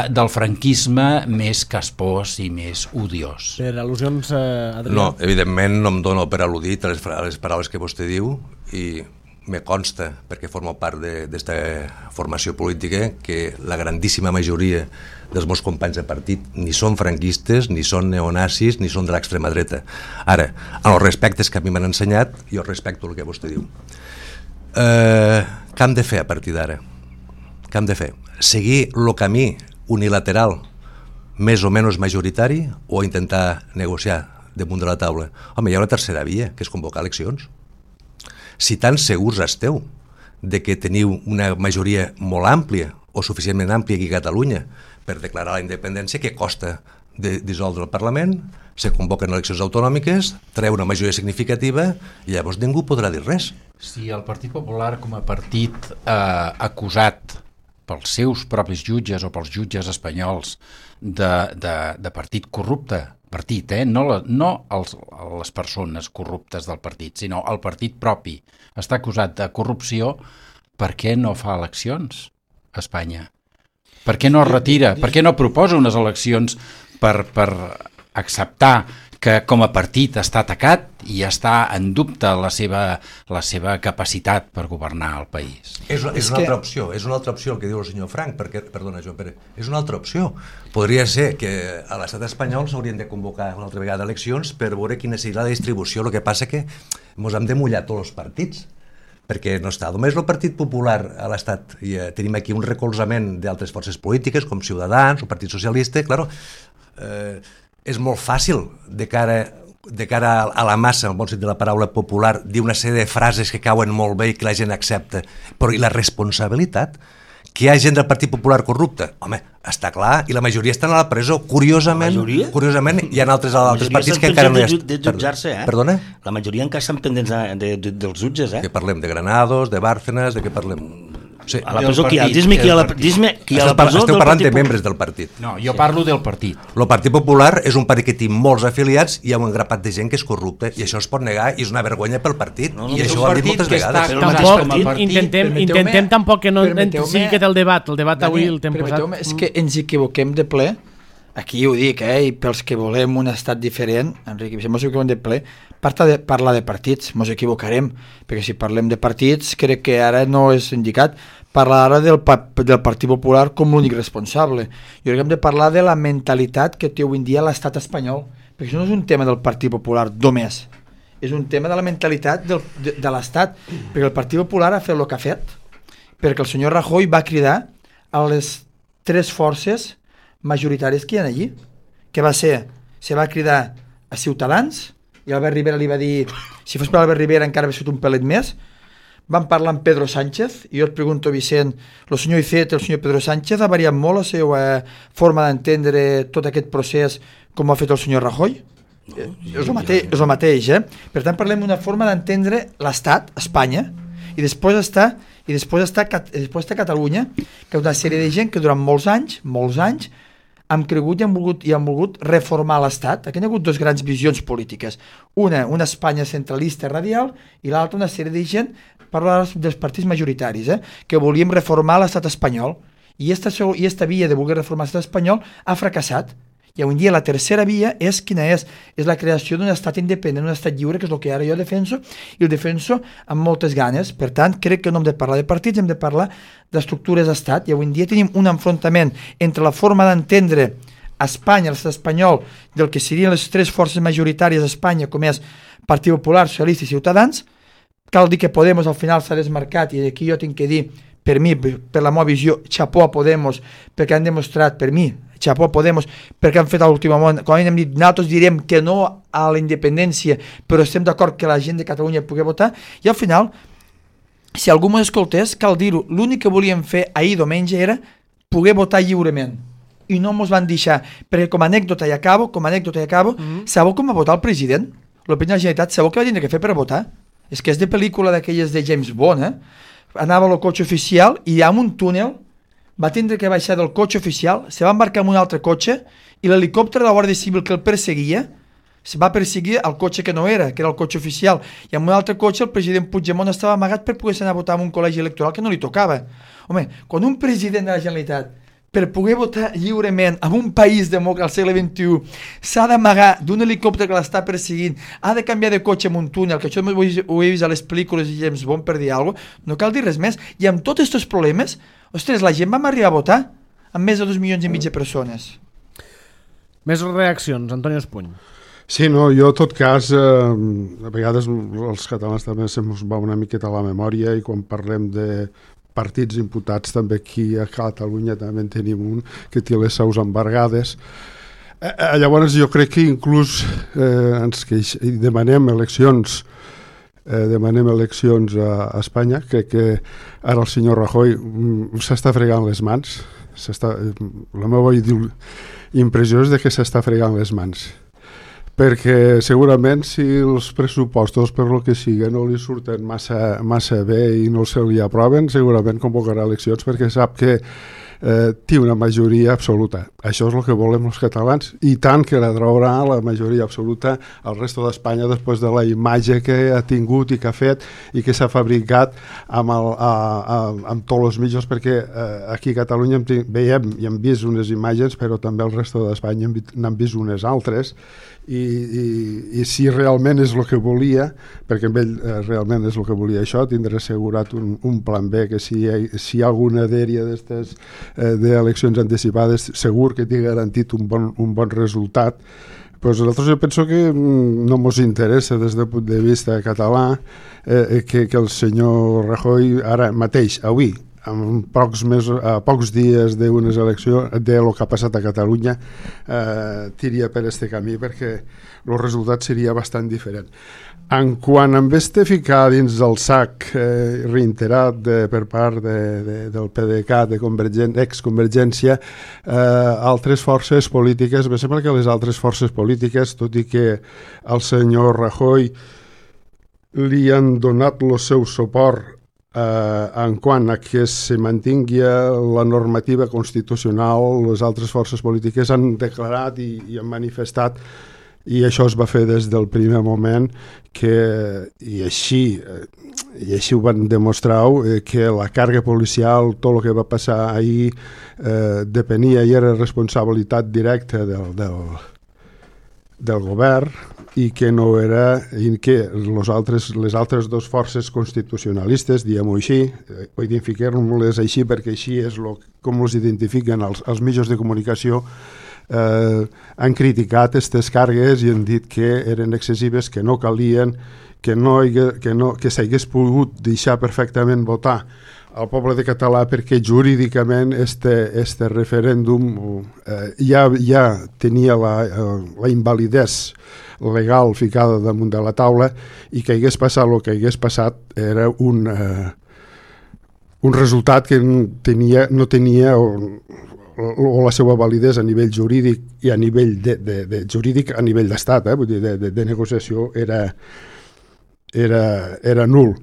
del franquisme més caspós i més odiós. Per al·lusions, Adrià? No, evidentment no em dono per al·ludit a les paraules que vostè diu i me consta, perquè formo part d'esta formació política, que la grandíssima majoria dels meus companys de partit ni són franquistes, ni són neonazis, ni són de l'extrema dreta. Ara, en els respectes que a mi m'han ensenyat, jo respecto el que vostè diu. Què hem de fer a partir d'ara? Què hem de fer? Seguir el camí unilateral, més o menys majoritari, o intentar negociar damunt de la taula? Home, hi ha una tercera via, que és convocar eleccions. Si tan segurs esteu de que teniu una majoria molt àmplia o suficientment àmplia aquí a Catalunya per declarar la independència, què costa de dissoldre el Parlament, se convoquen eleccions autonòmiques, treu una majoria significativa i llavors ningú podrà dir res. Si el Partit Popular, com a partit acusat pels seus propis jutges o pels jutges espanyols de partit corrupte, partit, no les persones corruptes del partit, sinó el partit propi, està acusat de corrupció, per què no fa eleccions a Espanya? Per què no es retira? Per què no proposa unes eleccions per acceptar que com a partit està atacat i està en dubte la seva capacitat per governar el país? És una altra opció el que diu el senyor Frank, perquè, perdona, Joan Pere, és una altra opció. Podria ser que a l'estat espanyol s'haurien de convocar una altra vegada eleccions per veure quina seria la distribució. El que passa que ens hem de mullar tots els partits, perquè no està només el Partit Popular a l'Estat, i tenim aquí un recolzament d'altres forces polítiques com Ciutadans o Partit Socialista, és molt fàcil de cara a la massa, en el bon sentit de la paraula popular, dir una sèrie de frases que cauen molt bé i que la gent accepta, però i la responsabilitat? Que hi ha gent del Partit Popular corrupta? Home, està clar, i la majoria estan a la presó. Curiosament, hi ha altres partits que encara no hi de jutjar-se, Perdona? La majoria encara estan pendents dels jutges, Que parlem de Granados, de Bárcenas, de què parlem? Sí. A la presó qui hi ha? Dis-me qui hi ha a la presó. Esteu parlant de membres del partit. No, jo parlo del partit. El Partit Popular és un partit que té molts afiliats i hi ha un grapat de gent que és corrupte, i això es pot negar i és una vergonya pel partit, i això ho han dit moltes vegades. Intentem tampoc que no sigui aquest el debat avui el temps posat. És que ens equivoquem de ple, aquí ho dic, i pels que volem un estat diferent, Enric, si ens equivoquem de ple, parlar de partits, ens equivocarem, perquè si parlem de partits crec que ara no és indicat parlar ara del Partit Popular com l'únic responsable. Jo crec que hem de parlar de la mentalitat que té avui en dia l'estat espanyol, perquè això no és un tema del Partit Popular només, és un tema de la mentalitat de l'estat, perquè el Partit Popular ha fet el que ha fet, perquè el senyor Rajoy va cridar a les tres forces majoritàries que hi ha allí, que se va cridar a Ciutadans, i Albert Rivera li va dir, si fos per Albert Rivera encara hauria sigut un pelet més. Van parlar amb Pedro Sánchez, i jo et pregunto, Vicent, el senyor Iceta, el senyor Pedro Sánchez, ha variat molt la seva forma d'entendre tot aquest procés com ho ha fet el senyor Rajoy? És el mateix, Per tant, parlem d'una forma d'entendre l'Estat, Espanya, i després està Catalunya, que és una sèrie de gent que durant molts anys, han cregut i han volgut reformar l'Estat. Aquí hi ha hagut dues grans visions polítiques. Una Espanya centralista radial, i l'altra una sèrie de gent, parlar dels partits majoritaris, que volíem reformar l'Estat espanyol. I esta via de voler reformar l'Estat espanyol ha fracassat. I avui dia la tercera via és quina és? És la creació d'un estat independent, un estat lliure, que és el que ara jo defenso, i el defenso amb moltes ganes. Per tant, crec que no hem de parlar de partits, hem de parlar d'estructures d'estat, i avui dia tenim un enfrontament entre la forma d'entendre a Espanya, l'estat espanyol, del que serien les tres forces majoritàries a Espanya, com és Partit Popular, Socialista i Ciutadans. Cal dir que Podemos al final s'ha desmarcat, i aquí jo tinc que dir, per mi, per la meva visió, xapó a Podemos, perquè han demostrat, per mi, xapó a Podemos, perquè han fet a l'últim moment, quan hem dit, nosaltres direm que no a la independència, però estem d'acord que la gent de Catalunya pugui votar, i al final, si algú m'ho escoltés, cal dir-ho, l'únic que volíem fer ahir diumenge era poder votar lliurement, i no mos van deixar, perquè com a anècdota i acabo, sabeu com va votar el president? L'opinió de la Generalitat, sabeu què va tindre que fer per votar? És que és de pel·lícula d'aquelles de James Bond, anava al cotxe oficial i amb un túnel va tindre que baixar del cotxe oficial, se va embarcar en un altre cotxe, i l'helicòpter de la Guàrdia Civil que el perseguia se va perseguir el cotxe que no era, que era el cotxe oficial, i amb un altre cotxe el president Puigdemont estava amagat per poder anar a votar en un col·legi electoral que no li tocava. Home, quan un president de la Generalitat, per poder votar lliurement en un país demòcrata al segle XXI, s'ha d'amagar d'un helicòpter que l'està perseguint, ha de canviar de cotxe en un túnel, que això ho he vist a les pel·lícules de James Bond, per dir alguna cosa, no cal dir res més. I amb tots aquests problemes, ostres, la gent vam arribar a votar amb més de 2,5 milions de persones. Més reaccions, Antonio Espuny. Sí, no, jo en tot cas, a vegades els catalans també se'ns va una miqueta a la memòria, i quan parlem de partits imputats també aquí a Catalunya, també en tenim un que té les seus embargades. Llavors jo crec que inclús demanem eleccions a Espanya. Crec que ara el senyor Rajoy s'està fregant les mans. La meva impressió és que s'està fregant les mans, perquè segurament si els pressupostos per lo que sigui no li surten massa bé i no se li aproven, segurament convocarà eleccions perquè sap que té una majoria absoluta. Això és el que volem els catalans, i tant que la traurà la majoria absoluta al resto d'Espanya després de la imatge que ha tingut i que ha fet i que s'ha fabricat amb tots els mitjans, perquè aquí a Catalunya veiem i hem vist unes imatges, però també al resto d'Espanya n'han vist unes altres, i si realment és el que volia, perquè amb ell realment és el que volia això, tindrà assegurat un plan B, que si hi ha alguna dèria d'aquestes d'eleccions anticipades, segur que té garantit un bon resultat. Pues nosaltres jo penso que no ens interessa des del punt de vista català que el senyor Rajoy ara mateix, avui, a pocs dies d'unes eleccions, de lo que ha passat a Catalunya, tiria per este camí, perquè el resultat seria bastant diferent. En quant a este ficar dins del sac reiterat per part del PDeCAT, ex-Convergència, altres forces polítiques, em sembla que les altres forces polítiques, tot i que al senyor Rajoy li han donat el seu suport en quant a que se mantingui la normativa constitucional, les altres forces polítiques han declarat i han manifestat, i això es va fer des del primer moment, i així ho van demostrar, que la càrrega policial, tot el que va passar ahir, depenia i era responsabilitat directa del govern, i que no era, i que les altres dues forces constitucionalistes, diguem-ho així, identifiquem-les així perquè així és com els identifiquen els mitjans de comunicació, han criticat aquestes càrregues i han dit que eren excessives, que no calien, que s'hagués pogut deixar perfectament votar al poble de català, perquè jurídicament este referèndum ja tenia la invalidesa legal ficada damunt de la taula, i que hagués passat el que hagués passat era un resultat que no tenia o la seva validesa a nivell jurídic i a nivell jurídic a nivell d'estat, vull dir, de negociació era nul.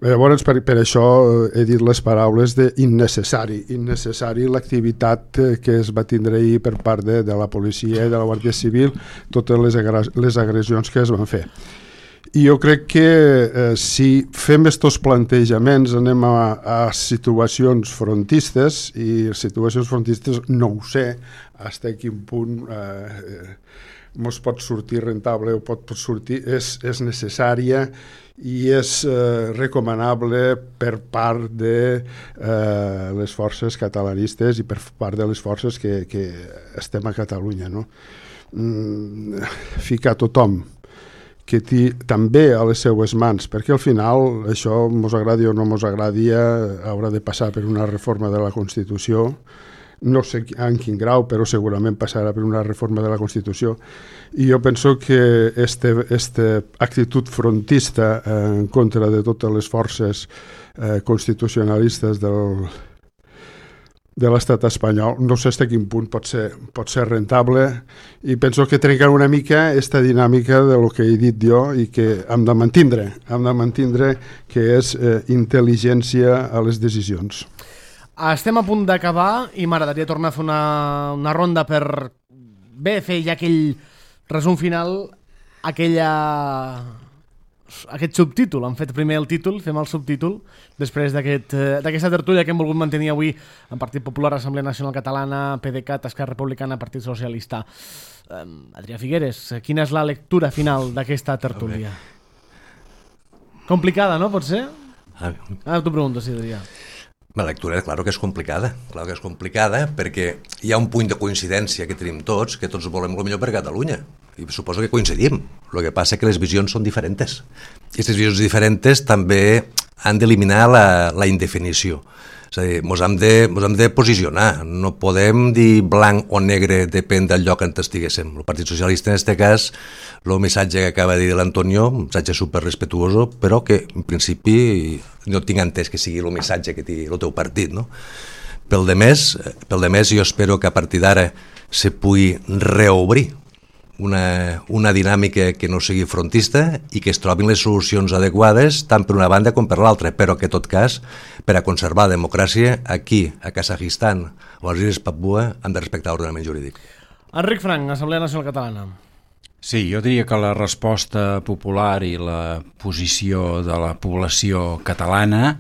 Llavors, per això he dit les paraules innecessari l'activitat que es va tindre ahir per part de la policia i de la Guàrdia Civil, totes les agressions que es van fer. I jo crec que si fem aquests plantejaments anem a situacions frontistes, i situacions frontistes no ho sé fins a quin punt ens pot sortir rentable o pot sortir, és necessària i és recomanable per part de les forces catalanistes i per part de les forces que estem a Catalunya, no? Ficar tothom que té també a les seues mans, perquè al final això, mos agradi o no mos agradi, haurà de passar per una reforma de la Constitució. No sé en quin grau, però segurament passarà per una reforma de la Constitució, i jo penso que aquesta actitud frontista en contra de totes les forces constitucionalistes de l'estat espanyol, no sé fins a quin punt pot ser rentable, i penso que trenca una mica aquesta dinàmica de lo que he dit jo i que hem de mantindre, que és intel·ligència a les decisions. Estem a punt d'acabar i m'agradaria tornar a fer una ronda per fer ja aquell resum final, aquest subtítol. Hem fet primer el títol, fem el subtítol, després d'aquesta tertúlia que hem volgut mantenir avui en Partit Popular, Assemblea Nacional Catalana, PDeCAT, Esquerra Republicana, Partit Socialista. Adrià Figueres, quina és la lectura final d'aquesta tertúlia? Complicada, no? Pot ser? T'ho pregunto, sí, Adrià. La lectura, clar que és complicada, perquè hi ha un punt de coincidència que tenim tots, que tots volem el millor per Catalunya, i suposo que coincidim. El que passa que les visions són diferents. I aquestes visions diferents també han d'eliminar la indefinició. És a dir, mos hem de posicionar, no podem dir blanc o negre, depèn del lloc on estiguéssim. El Partit Socialista, en aquest cas, el missatge que acaba de dir l'Antonio, un missatge superrespetuoso, però que, en principi, no tinc entès que sigui el missatge que té el teu partit, no? Pel de més, jo espero que a partir d'ara se pugui reobrir una dinàmica que no sigui frontista i que es trobin les solucions adequades tant per una banda com per l'altra, però que en tot cas, per a conservar la democràcia, aquí, a Kazakhstan o a les Illes Papua, han de respectar l'ordenament jurídic. Enric Frank, Assemblea Nacional Catalana. Sí, jo diria que la resposta popular i la posició de la població catalana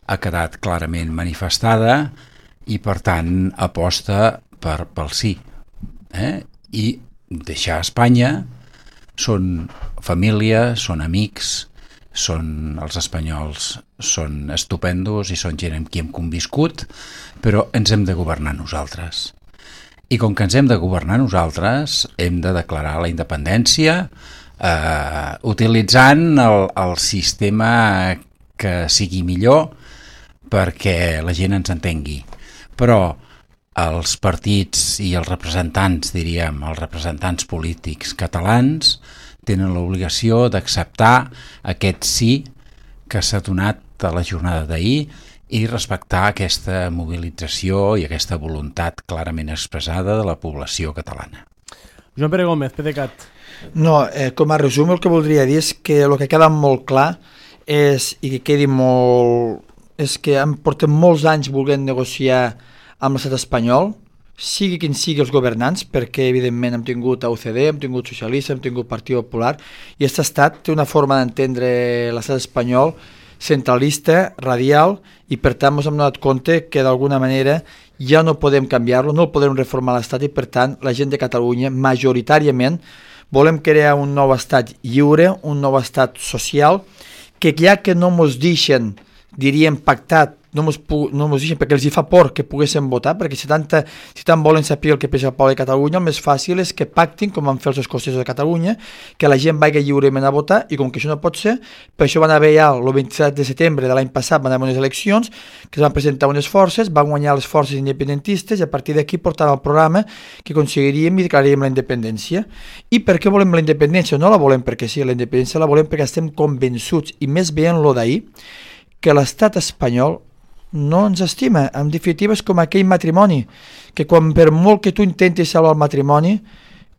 ha quedat clarament manifestada i, per tant, aposta pel sí. I deixar Espanya són família, són amics, els espanyols són estupendos i són gent amb qui hem conviscut, però ens hem de governar nosaltres. I com que ens hem de governar nosaltres, hem de declarar la independència utilitzant el sistema que sigui millor perquè la gent ens entengui. Però els partits i els representants, diríem, els representants polítics catalans tenen l'obligació d'acceptar aquest sí que s'ha donat a la jornada d'ahir i respectar aquesta mobilització i aquesta voluntat clarament expressada de la població catalana. Joan Pere Gómez, PDeCAT. No, com a resum el que voldria dir és que el que queda molt clar és, i que quedi molt, és que portem molts anys volent negociar amb l'estat espanyol, sigui quin sigui els governants, perquè evidentment hem tingut UCD, hem tingut socialista, hem tingut Partit Popular, i aquest estat té una forma d'entendre l'estat espanyol centralista, radial, i per tant ens hem donat compte que d'alguna manera ja no podem canviar-lo, no el podem reformar l'estat, i per tant la gent de Catalunya majoritàriament volem crear un nou estat lliure, un nou estat social, que ja que no ens deixen, diríem pactat, no mos deixen perquè els hi fa por que poguessin votar, perquè si tant volen saber el que pensa el poble de Catalunya, el més fàcil és que pactin, com van fer els escocesos de Catalunya, que la gent vagi lliurement a votar, i com que això no pot ser, per això van haver ja el 27 de setembre de l'any passat, van haver unes eleccions, que es van presentar unes forces, van guanyar les forces independentistes, i a partir d'aquí portaven el programa que aconseguiríem i declararíem la independència. I per què volem la independència? No la volem perquè sí, la independència la volem perquè estem convençuts, i més veient lo d'ahir, que l'estat espanyol no ens estima. En definitiva és com aquell matrimoni, que quan per molt que tu intentis salvar el matrimoni,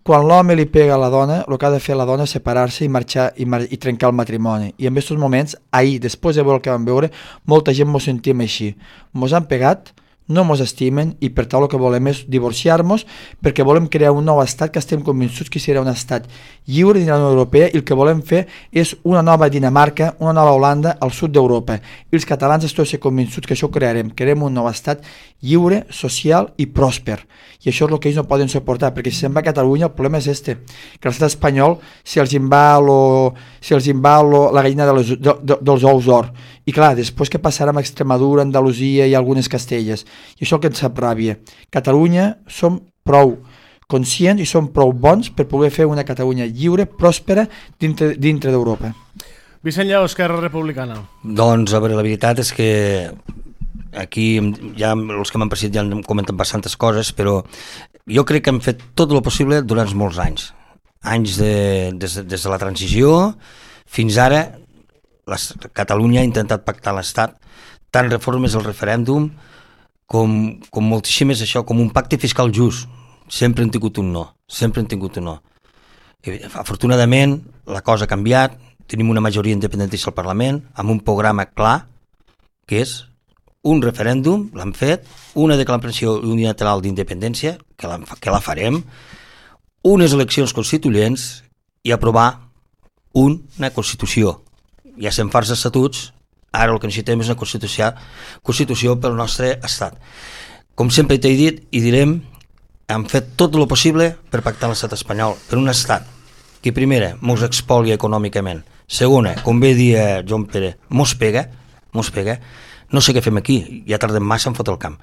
quan l'home li pega a la dona, el que ha de fer la dona és separar-se i marxar i trencar el matrimoni. I en aquests moments, ahir, després de veure el que vam veure, molta gent mos sentim així. Mos han pegat, no mos estimen, i per tant el que volem és divorciar-nos, perquè volem crear un nou estat que estem convençuts que serà un estat lliure dins la Unió Europea, i el que volem fer és una nova Dinamarca, una nova Holanda al sud d'Europa. I els catalans estem convençuts que això ho crearem un nou estat lliure, social i pròsper. I això és el que ells no poden suportar, perquè si se'n va a Catalunya el problema és que l'estat espanyol si els en va la gallina dels ous d'or. I clar, després què passarà amb Extremadura, Andalusia i algunes Castelles? I això el que ens sap ràbia. Catalunya som prou conscients i som prou bons per poder fer una Catalunya lliure, pròspera, dintre d'Europa. Vicent Lleó, Esquerra Republicana. Doncs, a veure, la veritat és que aquí ja els que m'han precedit ja han comentat bastantes coses, però jo crec que hem fet tot el possible durant molts anys. Des de la transició fins ara, Catalunya ha intentat pactar l'Estat, tant reformes al referèndum com moltíssimes això, com un pacte fiscal just. Sempre han tingut un no, Afortunadament, la cosa ha canviat, tenim una majoria independentista al Parlament, amb un programa clar, que és un referèndum, l'han fet, una declaració unilateral d'independència, que la farem, unes eleccions constituents i aprovar una Constitució. Ja se'n fa els estatuts, ara el que necessitem és una Constitució pel nostre Estat. Com sempre t'he dit i direm, hem fet tot el possible per pactar l'estat espanyol, per un estat que primera mos expolia econòmicament, segona, com bé dia Joan Pere, mos pega, no sé què fem aquí, ja tardem massa en fotre el camp.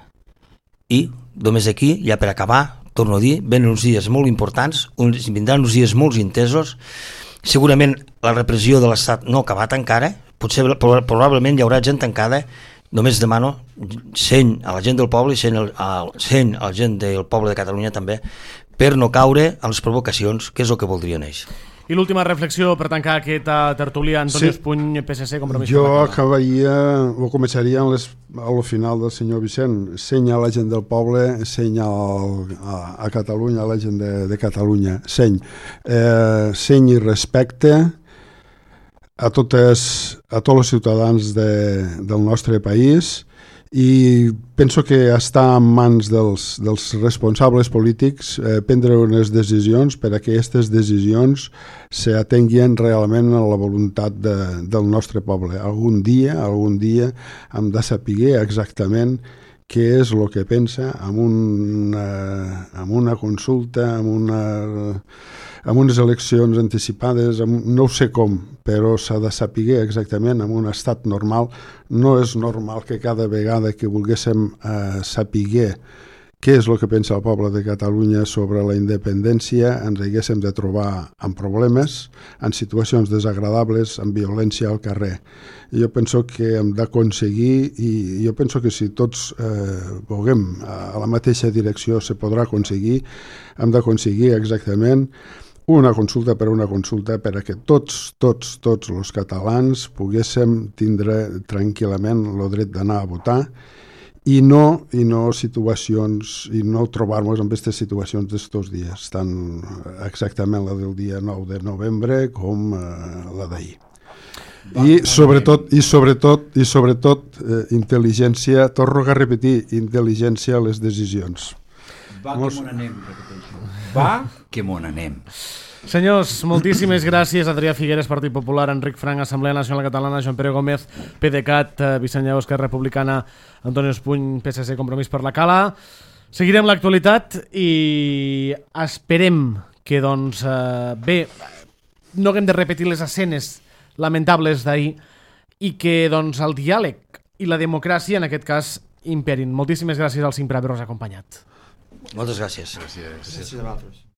I només aquí, ja per acabar, torno a dir, venen uns dies molt importants, vindran uns dies molt intensos, segurament la repressió de l'estat no ha acabat encara, potser probablement hi haurà gent tancada només demano, seny a la gent del poble i seny a la gent del poble de Catalunya també, per no caure a les provocacions, que és el que voldrien ells. I l'última reflexió per tancar aquesta tertúlia, Antonio Espuny, PSC, Compromís Jo per la Cala. acabaria, o començaria al final del senyor Vicent. Seny a la gent del poble, seny a Catalunya, a la gent de Catalunya. Seny i respecte a tots els ciutadans del nostre país, i penso que està en mans dels responsables polítics prendre unes decisions per a que aquestes decisions s'atenguin realment a la voluntat del nostre poble. Algun dia hem de saber exactament què és el que pensa amb una consulta, amb unes eleccions anticipades, no ho sé com, però s'ha de saber exactament en un estat normal. No és normal que cada vegada que volguéssim saber què és el que pensa el poble de Catalunya sobre la independència ens haguéssim de trobar amb problemes, en situacions desagradables, amb violència al carrer. Jo penso que hem d'aconseguir, i jo penso que si tots vulguem a la mateixa direcció se podrà aconseguir, hem d'aconseguir exactament una consulta per a que tots els catalans poguéssim tindre tranquil·lament el dret d'anar a votar i no situacions, i no trobar-nos en aquestes situacions d'estos dies, tant exactament la del dia 9 de novembre com la d'ahir. I sobretot intel·ligència, torno a repetir, intel·ligència a les decisions. Va que m'on anem, repeteixo. Va que m'on anem. Senyors, moltíssimes gràcies. Adrià Figueres, Partit Popular, Enric Frank, Assemblea Nacional Catalana, Joan Pere Gómez, PDeCAT, Vicent Lleó, Esquerra Republicana, Antonio Espuny, PSC, Compromís per la Cala. Seguirem l'actualitat i esperem que, doncs, bé, no haguem de repetir les escenes lamentables d'ahir i que, doncs, el diàleg i la democràcia, en aquest cas, imperin. Moltíssimes gràcies al CIM per haver-nos acompanyat. Moltes gràcies. Gràcies a vosaltres.